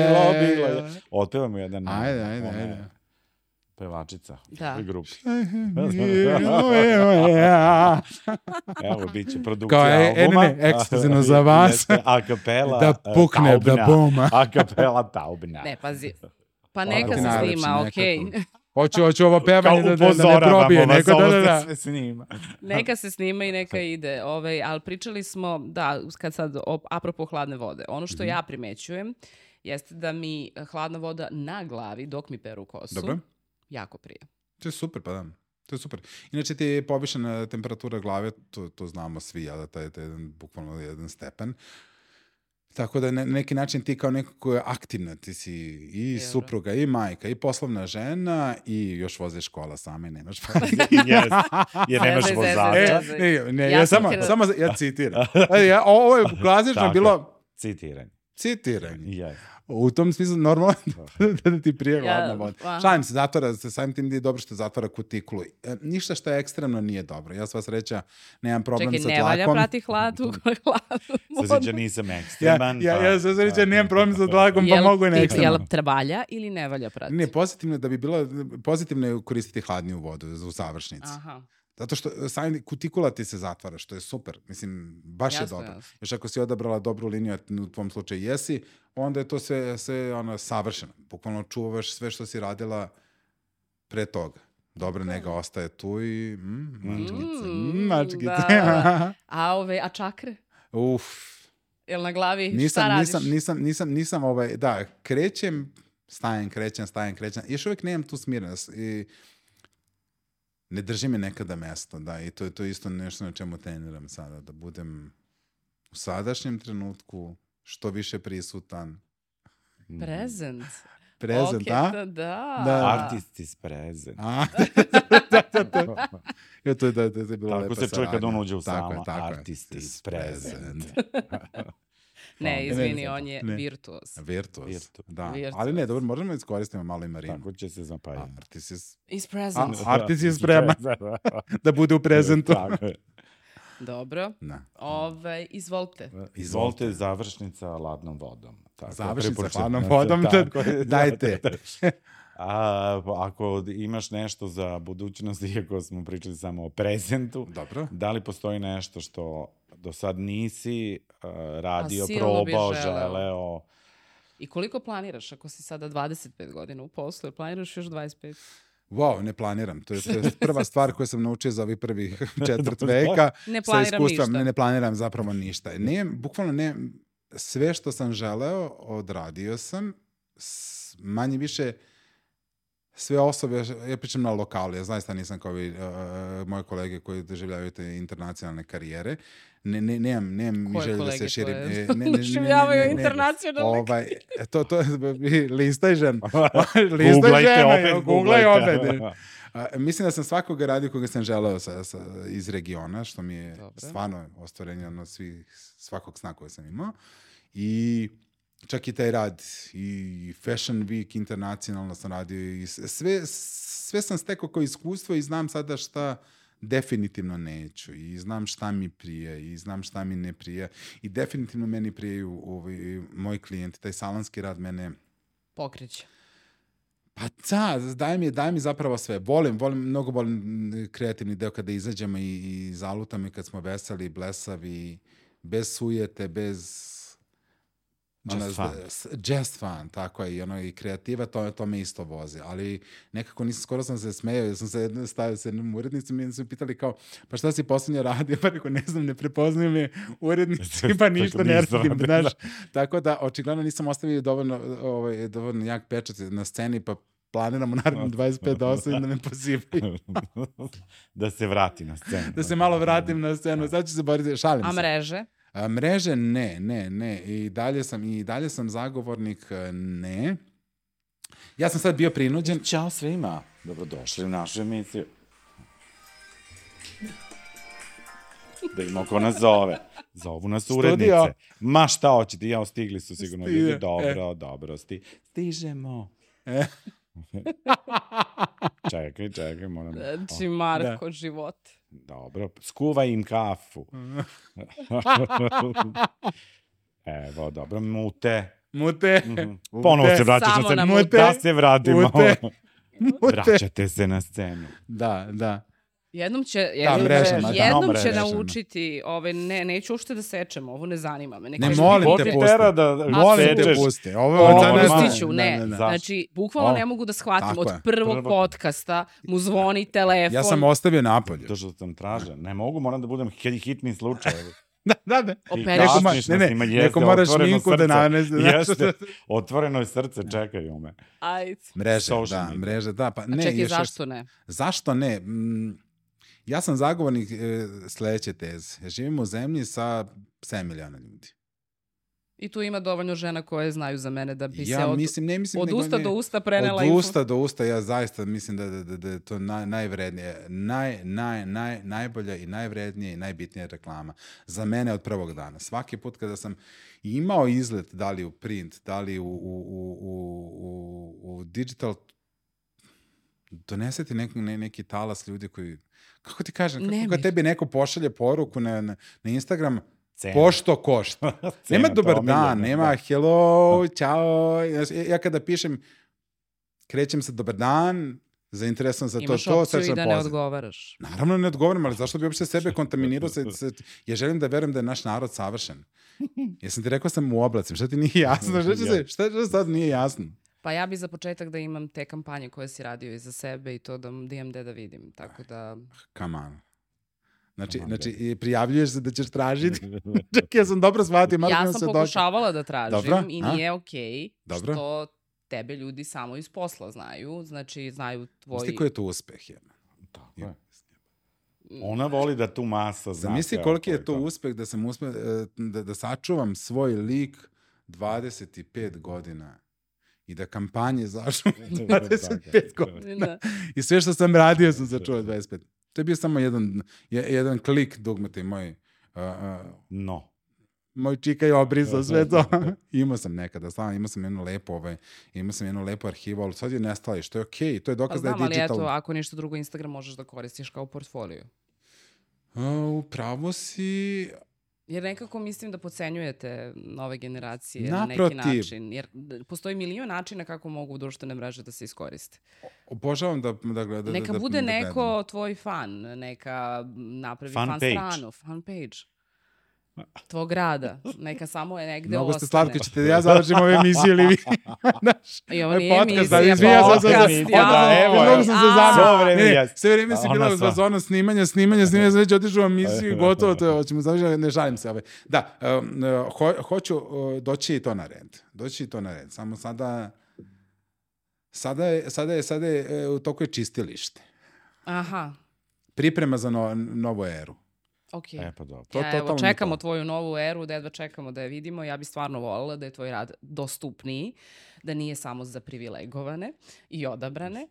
bilo, bilo je. Otpevamo jedan. Ajde, ajde, ajde. Pevačica da. u grupi. Evo, bit će produkcija kao, e, albuma. Ne, ne, ekskluzivno za vas. A kapela da pukne, taubna. Da boma. A kapela taubna. Ne, pazi. Pa neka se snima, okej. Okay. Hoću, hoću ovo pevanje da, da, da ne probije. Vas, neko, da, da, da. sve snima. Neka se snima i neka ide. Ove, ali pričali smo, da, kad sad, apropo hladne vode, ono što mm-hmm. ja primećujem jeste da mi hladna voda na glavi, dok mi peru kosu, dobro. Jako prije. To je super, pa da. To je super. Inače ti je povišena temperatura glave, to, to znamo svi, ja, da taj je jedan, bukvalno jedan stepen. Tako da na neki način ti kao neko ko je aktivna, ti si i Euro. supruga, i majka, i poslovna žena, i još voziš škola sama i nemaš yes. Jer nemaš vozača. Ne, ne, ja, ja samo, samo ja citiram. Ja, ovo je klasično bilo... Citiranje. Citiranje. Yes. U tom smislu normalno da, da ti prije hladna ja, voda. Šalim se, zatvara se, samim tim da je dobro što zatvara kutikulu. E, ništa što je ekstremno nije dobro. Ja sva sreća nemam problem Čekaj, sa tlakom. Čekaj, ne valja prati hladu, hladnu vodu. Sva sreća nisam ekstreman. Ja, pa, ja, ja sva sreća nemam problem sa tlakom, pa mogu i ne ekstreman. Jel te valja ili ne valja prati? Ne, pozitivno da bi bilo, pozitivno je koristiti hladniju vodu u završnici. Aha. Zato što sami kutikula ti se zatvara, što je super. Mislim, baš jasno, je dobro. Jasno. Još ako si odabrala dobru liniju, u tvom slučaju jesi, onda je to sve, sve ono, savršeno. Bukvalno čuvaš sve što si radila pre toga. Dobra nega ostaje tu i mm, mačkice. Mm, mačkice. Da. A, ove, a čakre? Uf. Jel na glavi nisam, šta radiš? Nisam, nisam, nisam, nisam, ovaj, da, krećem, stajem, krećem, stajem, krećem. Još uvijek nemam tu smirenost i ne drži me nekada mesto, da, i to je to isto nešto na čemu treniram sada, da budem u sadašnjem trenutku što više prisutan. Present. Present, okay, a? Da, da. da. Artist is present. A? da, da, da. Ja, to je, da, da, da je bilo tako se čuje kad on uđe u sama. Artist is present. Ne, izvini, on je ne. virtuos. Virtuos, Virtuos. da. Virtuos. Ali ne, dobro, možemo iskoristiti malo i Marinu. Tako će se zapajati. Artist is... Is present. A, artist is spreman da bude u prezentu. Tako je. Dobro. Ove, izvolite. Izvolite, završnica ladnom vodom. Tako, završnica ladnom vodom, da, dajte. A, ako imaš nešto za budućnost, iako smo pričali samo o prezentu, dobro. Da li postoji nešto što do sad nisi uh, radio, probao, želeo? I koliko planiraš ako si sada dvadeset pet godina u poslu, ili planiraš još dvadeset pet? Wow, ne planiram. To je, to je prva stvar koju sam naučio za ovih prvih četvrt veka. Ne planiram ništa. Ne, ne planiram zapravo ništa. Ne, bukvalno ne, sve što sam želeo, odradio sam, s, manje više sve osobe, ja pričam na lokalu, ja zaista nisam kao vi, uh, moje kolege koji doživljavaju te internacionalne karijere. Ne, ne, nemam, nemam mi želje da se širim. Koje ne, ne, ne, doživljavaju internacionalne ovaj, to, to, listaj žen. listaj žena, googlaj opet. A, mislim da sam svakog radio koga sam želeo sa, sa, iz regiona, što mi je Dobre. stvarno ostvarenje ono svih, svakog sna koje sam imao. I čak i taj rad, i Fashion Week internacionalno sam radio, i sve, sve sam stekao kao iskustvo i znam sada šta definitivno neću, i znam šta mi prije, i znam šta mi ne prije, i definitivno meni prijeju ovi, moji klijenti, taj salonski rad mene pokreće. Pa da, daj mi, daj mi zapravo sve. Volim, volim, mnogo volim kreativni deo kada izađemo i, i zalutam i kad smo veseli, blesavi, bez sujete, bez Just ona, fun. Just fun, tako je, i, ono, i kreativa, to, to me isto vozi, ali nekako nisam, skoro sam se smejao, ja sam se stavio sa jednom urednicom i su pitali kao, pa šta si poslednje radio, pa rekao, ne znam, ne prepoznaju me urednici, pa ništa ne radim, znaš, tako da, očigledno nisam ostavio dovoljno, ovaj, dovoljno jak pečat na sceni, pa planiramo naravno dvadeset pet do osam da me pozivaju. Da se vrati na scenu. Da se malo vratim na scenu, sad ću se boriti, šalim se. A mreže? A, mreže ne, ne, ne. I dalje sam, i dalje sam zagovornik ne. Ja sam sad bio prinuđen. Ćao svima, dobrodošli u našu emisiju. Da ima ko nas zove. Zovu nas urednice. Ma šta hoćete, ja stigli su sigurno Stide. ljudi. Dobro, e. dobro, sti. Stižemo. E. čekaj, čekaj, moram... Znači, Marko, da. život. Dobro, skuvaj im kafu. Evo, dobro, mute. Mute. Mm-hmm. Ponovo se vraćaš na scenu. Mute. Da se vratimo. Mute. Vraćate se na scenu. Da, da. Jednom će, jednom, da, mrežama, jednom da. će Mrežama. naučiti, ove, ne, neću uopšte da sečem, ovo ne zanima me. Ne, ne molim te pusti. Da, molim te pusti. Ovo je za nas. Pustit ću, ne. ne, ne. Znači, bukvalno o, ne mogu da shvatim. Od prvog Prvo. podcasta mu zvoni telefon. Ja sam ostavio napolje. To što sam tražen. Ne mogu, moram da budem hitni slučaj. Da, da, da. Neko, ma, ne, ne, neko mora šminku da nanese. Jeste, otvoreno je srce, čekaju me. Ajde. Mreže, da, mreže, da. Pa, A ne, čekaj, još, zašto ne? Zašto ne? Mm, ja sam zagovornik e, sledeće teze. Ja živim u zemlji sa sedam miliona ljudi. I tu ima dovoljno žena koje znaju za mene da bi ja se od, mislim, ne mislim, od nego, usta ne, do usta prenela Od info. usta do usta, ja zaista mislim da, da, da, da je to naj, najvrednije, naj, naj, naj, najbolja i najvrednija i najbitnija reklama. Za mene od prvog dana. Svaki put kada sam imao izlet, da li u print, da li u, u, u, u, u digital, doneseti neki, ne, neki talas ljudi koji, kako ti kažem, kako kad tebi neko pošalje poruku na, na, na Instagram, Cena. Pošto košta. Nema dobar dan, nema da. hello, čao. Ja, ja kada pišem, krećem se dobar dan, zainteresovan za Imaš to, to. Imaš opciju i da pozdra. ne odgovaraš. Naravno ne odgovaram, ali zašto bi uopšte sebe kontaminirao? Se, se, ja želim da verujem da je naš narod savršen. Ja sam ti rekao sam u oblacim, šta ti nije jasno? Šta, se, šta, šta sad nije jasno? Pa ja bi za početak da imam te kampanje koje si radio iza sebe i to da, da imam gde da vidim. Tako da... Come on. Znači, znači, prijavljuješ se da ćeš tražiti. Čak, ja sam dobro shvatio. Ja sam pokušavala dođe. da tražim Dobro? i nije okej okay, što tebe ljudi samo iz posla znaju. Znači, znaju tvoji... Misli koji je to uspeh, je. Tako je. Ona voli da tu masa zna. Zamisli koliki je to uspeh da sam uspeh, da, da sačuvam svoj lik dvadeset pet godina i da kampanje zašao dvadeset pet godina. I sve što sam radio sam sačuvao dvadeset pet. To je bio samo jedan, jedan klik dugmete moj... Uh, uh, no. Moj čika je obrisao sve to. Imao sam nekada, stvarno, imao sam jednu lepu, ovaj, imao sam jednu lepu arhivu, ali sad je nestala i što je okej, okay, to je dokaz pa, da je digital. Ali eto, ako ništa drugo, Instagram možeš da koristiš kao portfolio. Uh, upravo si... Jer nekako mislim da podcenjujete nove generacije Naprotiv. na neki način. Jer postoji milion načina kako mogu društvene mreže da se iskoriste. Obožavam da, da gledam. Neka da, bude da, neko da tvoj fan, neka napravi fan, fan page. stranu, fan page. tvog rada. Neka samo je negde Mnogo ostane. ste slatko, ćete ja završim ovu emisiju ili vi. I ovo Ovaj nije podcast, emisija, ali izvinjam se, podcast, sad- ja. Da, evo, Mnogo sam se A, zamio. Svo vreme Ne, ne, jeste. sve vreme si Ona bila u sva. fazonu snimanja, snimanja, snimanja, sad već otišao u emisiju i gotovo, to je, hoćemo završiti, ne žalim se. Ovaj. Da, um, ho, hoću uh, doći i to na red. Doći i to na red. Samo sada, sada je, sada je, sada je uh, u toku je čistilište. Aha, Priprema za no, novu eru. okej. E, pa dobro. To Ja, evo, totalno čekamo to. tvoju novu eru, da jedva čekamo da je vidimo. Ja bi stvarno voljela da je tvoj rad dostupniji, da nije samo za privilegovane i odabrane.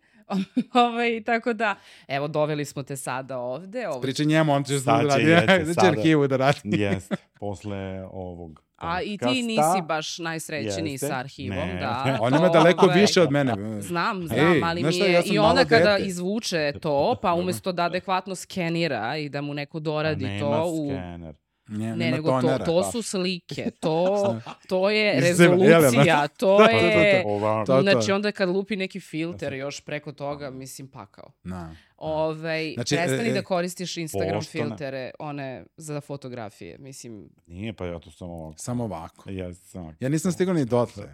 Ovaj, tako da, evo, doveli smo te sada ovde. Ovo... Pričaj njemu, on će Sad da će, radi. jeste, Da će sada. arhivu da radi. Jeste, posle ovog A i ti podcasta. nisi baš najsrećniji Jeste. sa arhivom, Ne. da. On ima daleko Ovaj, više od mene. Znam, znam, Ej, ali znaš mi šta, je... ja sam I malo onda kada dete. izvuče to, pa umesto da adekvatno skenira i da mu neko doradi Nema to u... skener. Ne, Ne, nema nego to, tonera. to su slike, to, to je Iz rezolucija, Jelena. to Da, da, da, je... da. Ova, To- Znači onda kad lupi neki filter još preko toga, mislim, pakao. Da. Ovaj, Znači, prestani e, e, da koristiš Instagram pošteno. filtere, one za fotografije, mislim. Nije, pa ja to samo ovako. Samo ovako. Ja sam... Ja nisam stigao ni dotle.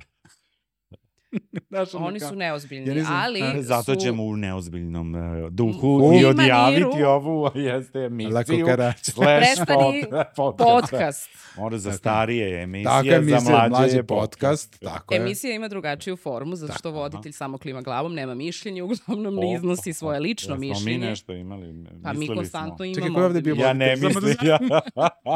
Znaš, ono Oni kao- su neozbiljni, Ja nisam- ali E, Zato su... ćemo u neozbiljnom uh, duhu U i maniru. odjaviti ovu jeste Lako emisiju karač. slash Prestani pod, podcast. podcast. Možda za starije emisije, Tako je, za mislim, mlađe, mlađi je podcast. Tako je. Emisija ima drugačiju formu, zato što voditelj samo klima glavom, nema mišljenje, uglavnom ne iznosi svoje lično Jesmo mi mišljenje. nešto imali, Pa mi mislili konstantno smo. imamo. Čekaj, ko je ovde bio Ja ne voditelj? Samo da mislim, ja.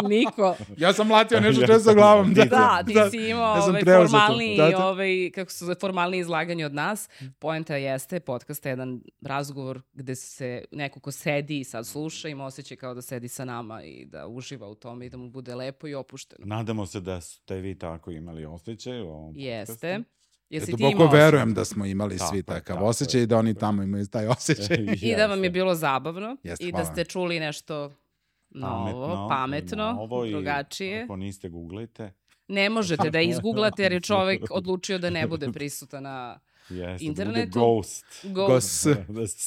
Niko. Ja sam mlatio nešto često sa glavom. Da, Da, ti si imao ja sam ovaj preuzeo to. formalniji, Da, da. ovaj, kako su formalniji izlaganje od nas. Poenta jeste, podcast je jedan razgovor gde se neko ko sedi i sad sluša ima osjećaj kao da sedi sa nama i da uživa u tome i da mu bude lepo i opušteno. Nadamo se da ste vi tako imali osjećaj u ovom Jeste. podcastu. Jesi ti Duboko imao verujem da smo imali Tako svi je, takav tako je. osjećaj i da oni tamo imaju taj osjećaj. I da vam je bilo zabavno Jeste, i da hvala. ste čuli nešto novo, pametno, novo i drugačije. Ako niste, googlajte. Ne možete da izgooglate jer je čovek odlučio da ne bude prisutan na Jeste, internetu. bude ghost. Ghost. Gos.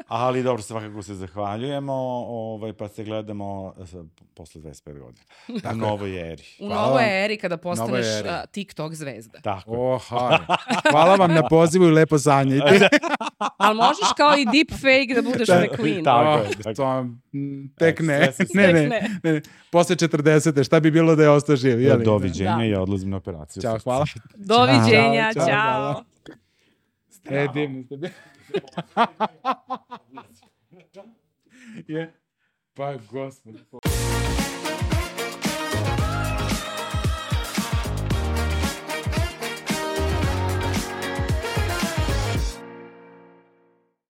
Ali dobro, svakako se zahvaljujemo, ovaj, pa se gledamo eh, posle dvadeset pet godina. U novoj eri. U Hvala novoj vam. eri kada postaneš Novoj eri. a, TikTok zvezda. Tako. Oha. Hvala vam na pozivu i lepo sanjajte. Ali možeš kao i deepfake da budeš McQueen. Tako Oh, je, tako. to, mm, tek E, ne. sve se Ne, ne, Tek ne. ne. Posle četrdesete, šta bi bilo da je ostao živ? Jeli? Doviđenja, Da. ja odlazim na operaciju. Ćao, hvala. Doviđenja, Ćao, čao. ćao, E, divni ste bili. Je. Pa, gospod.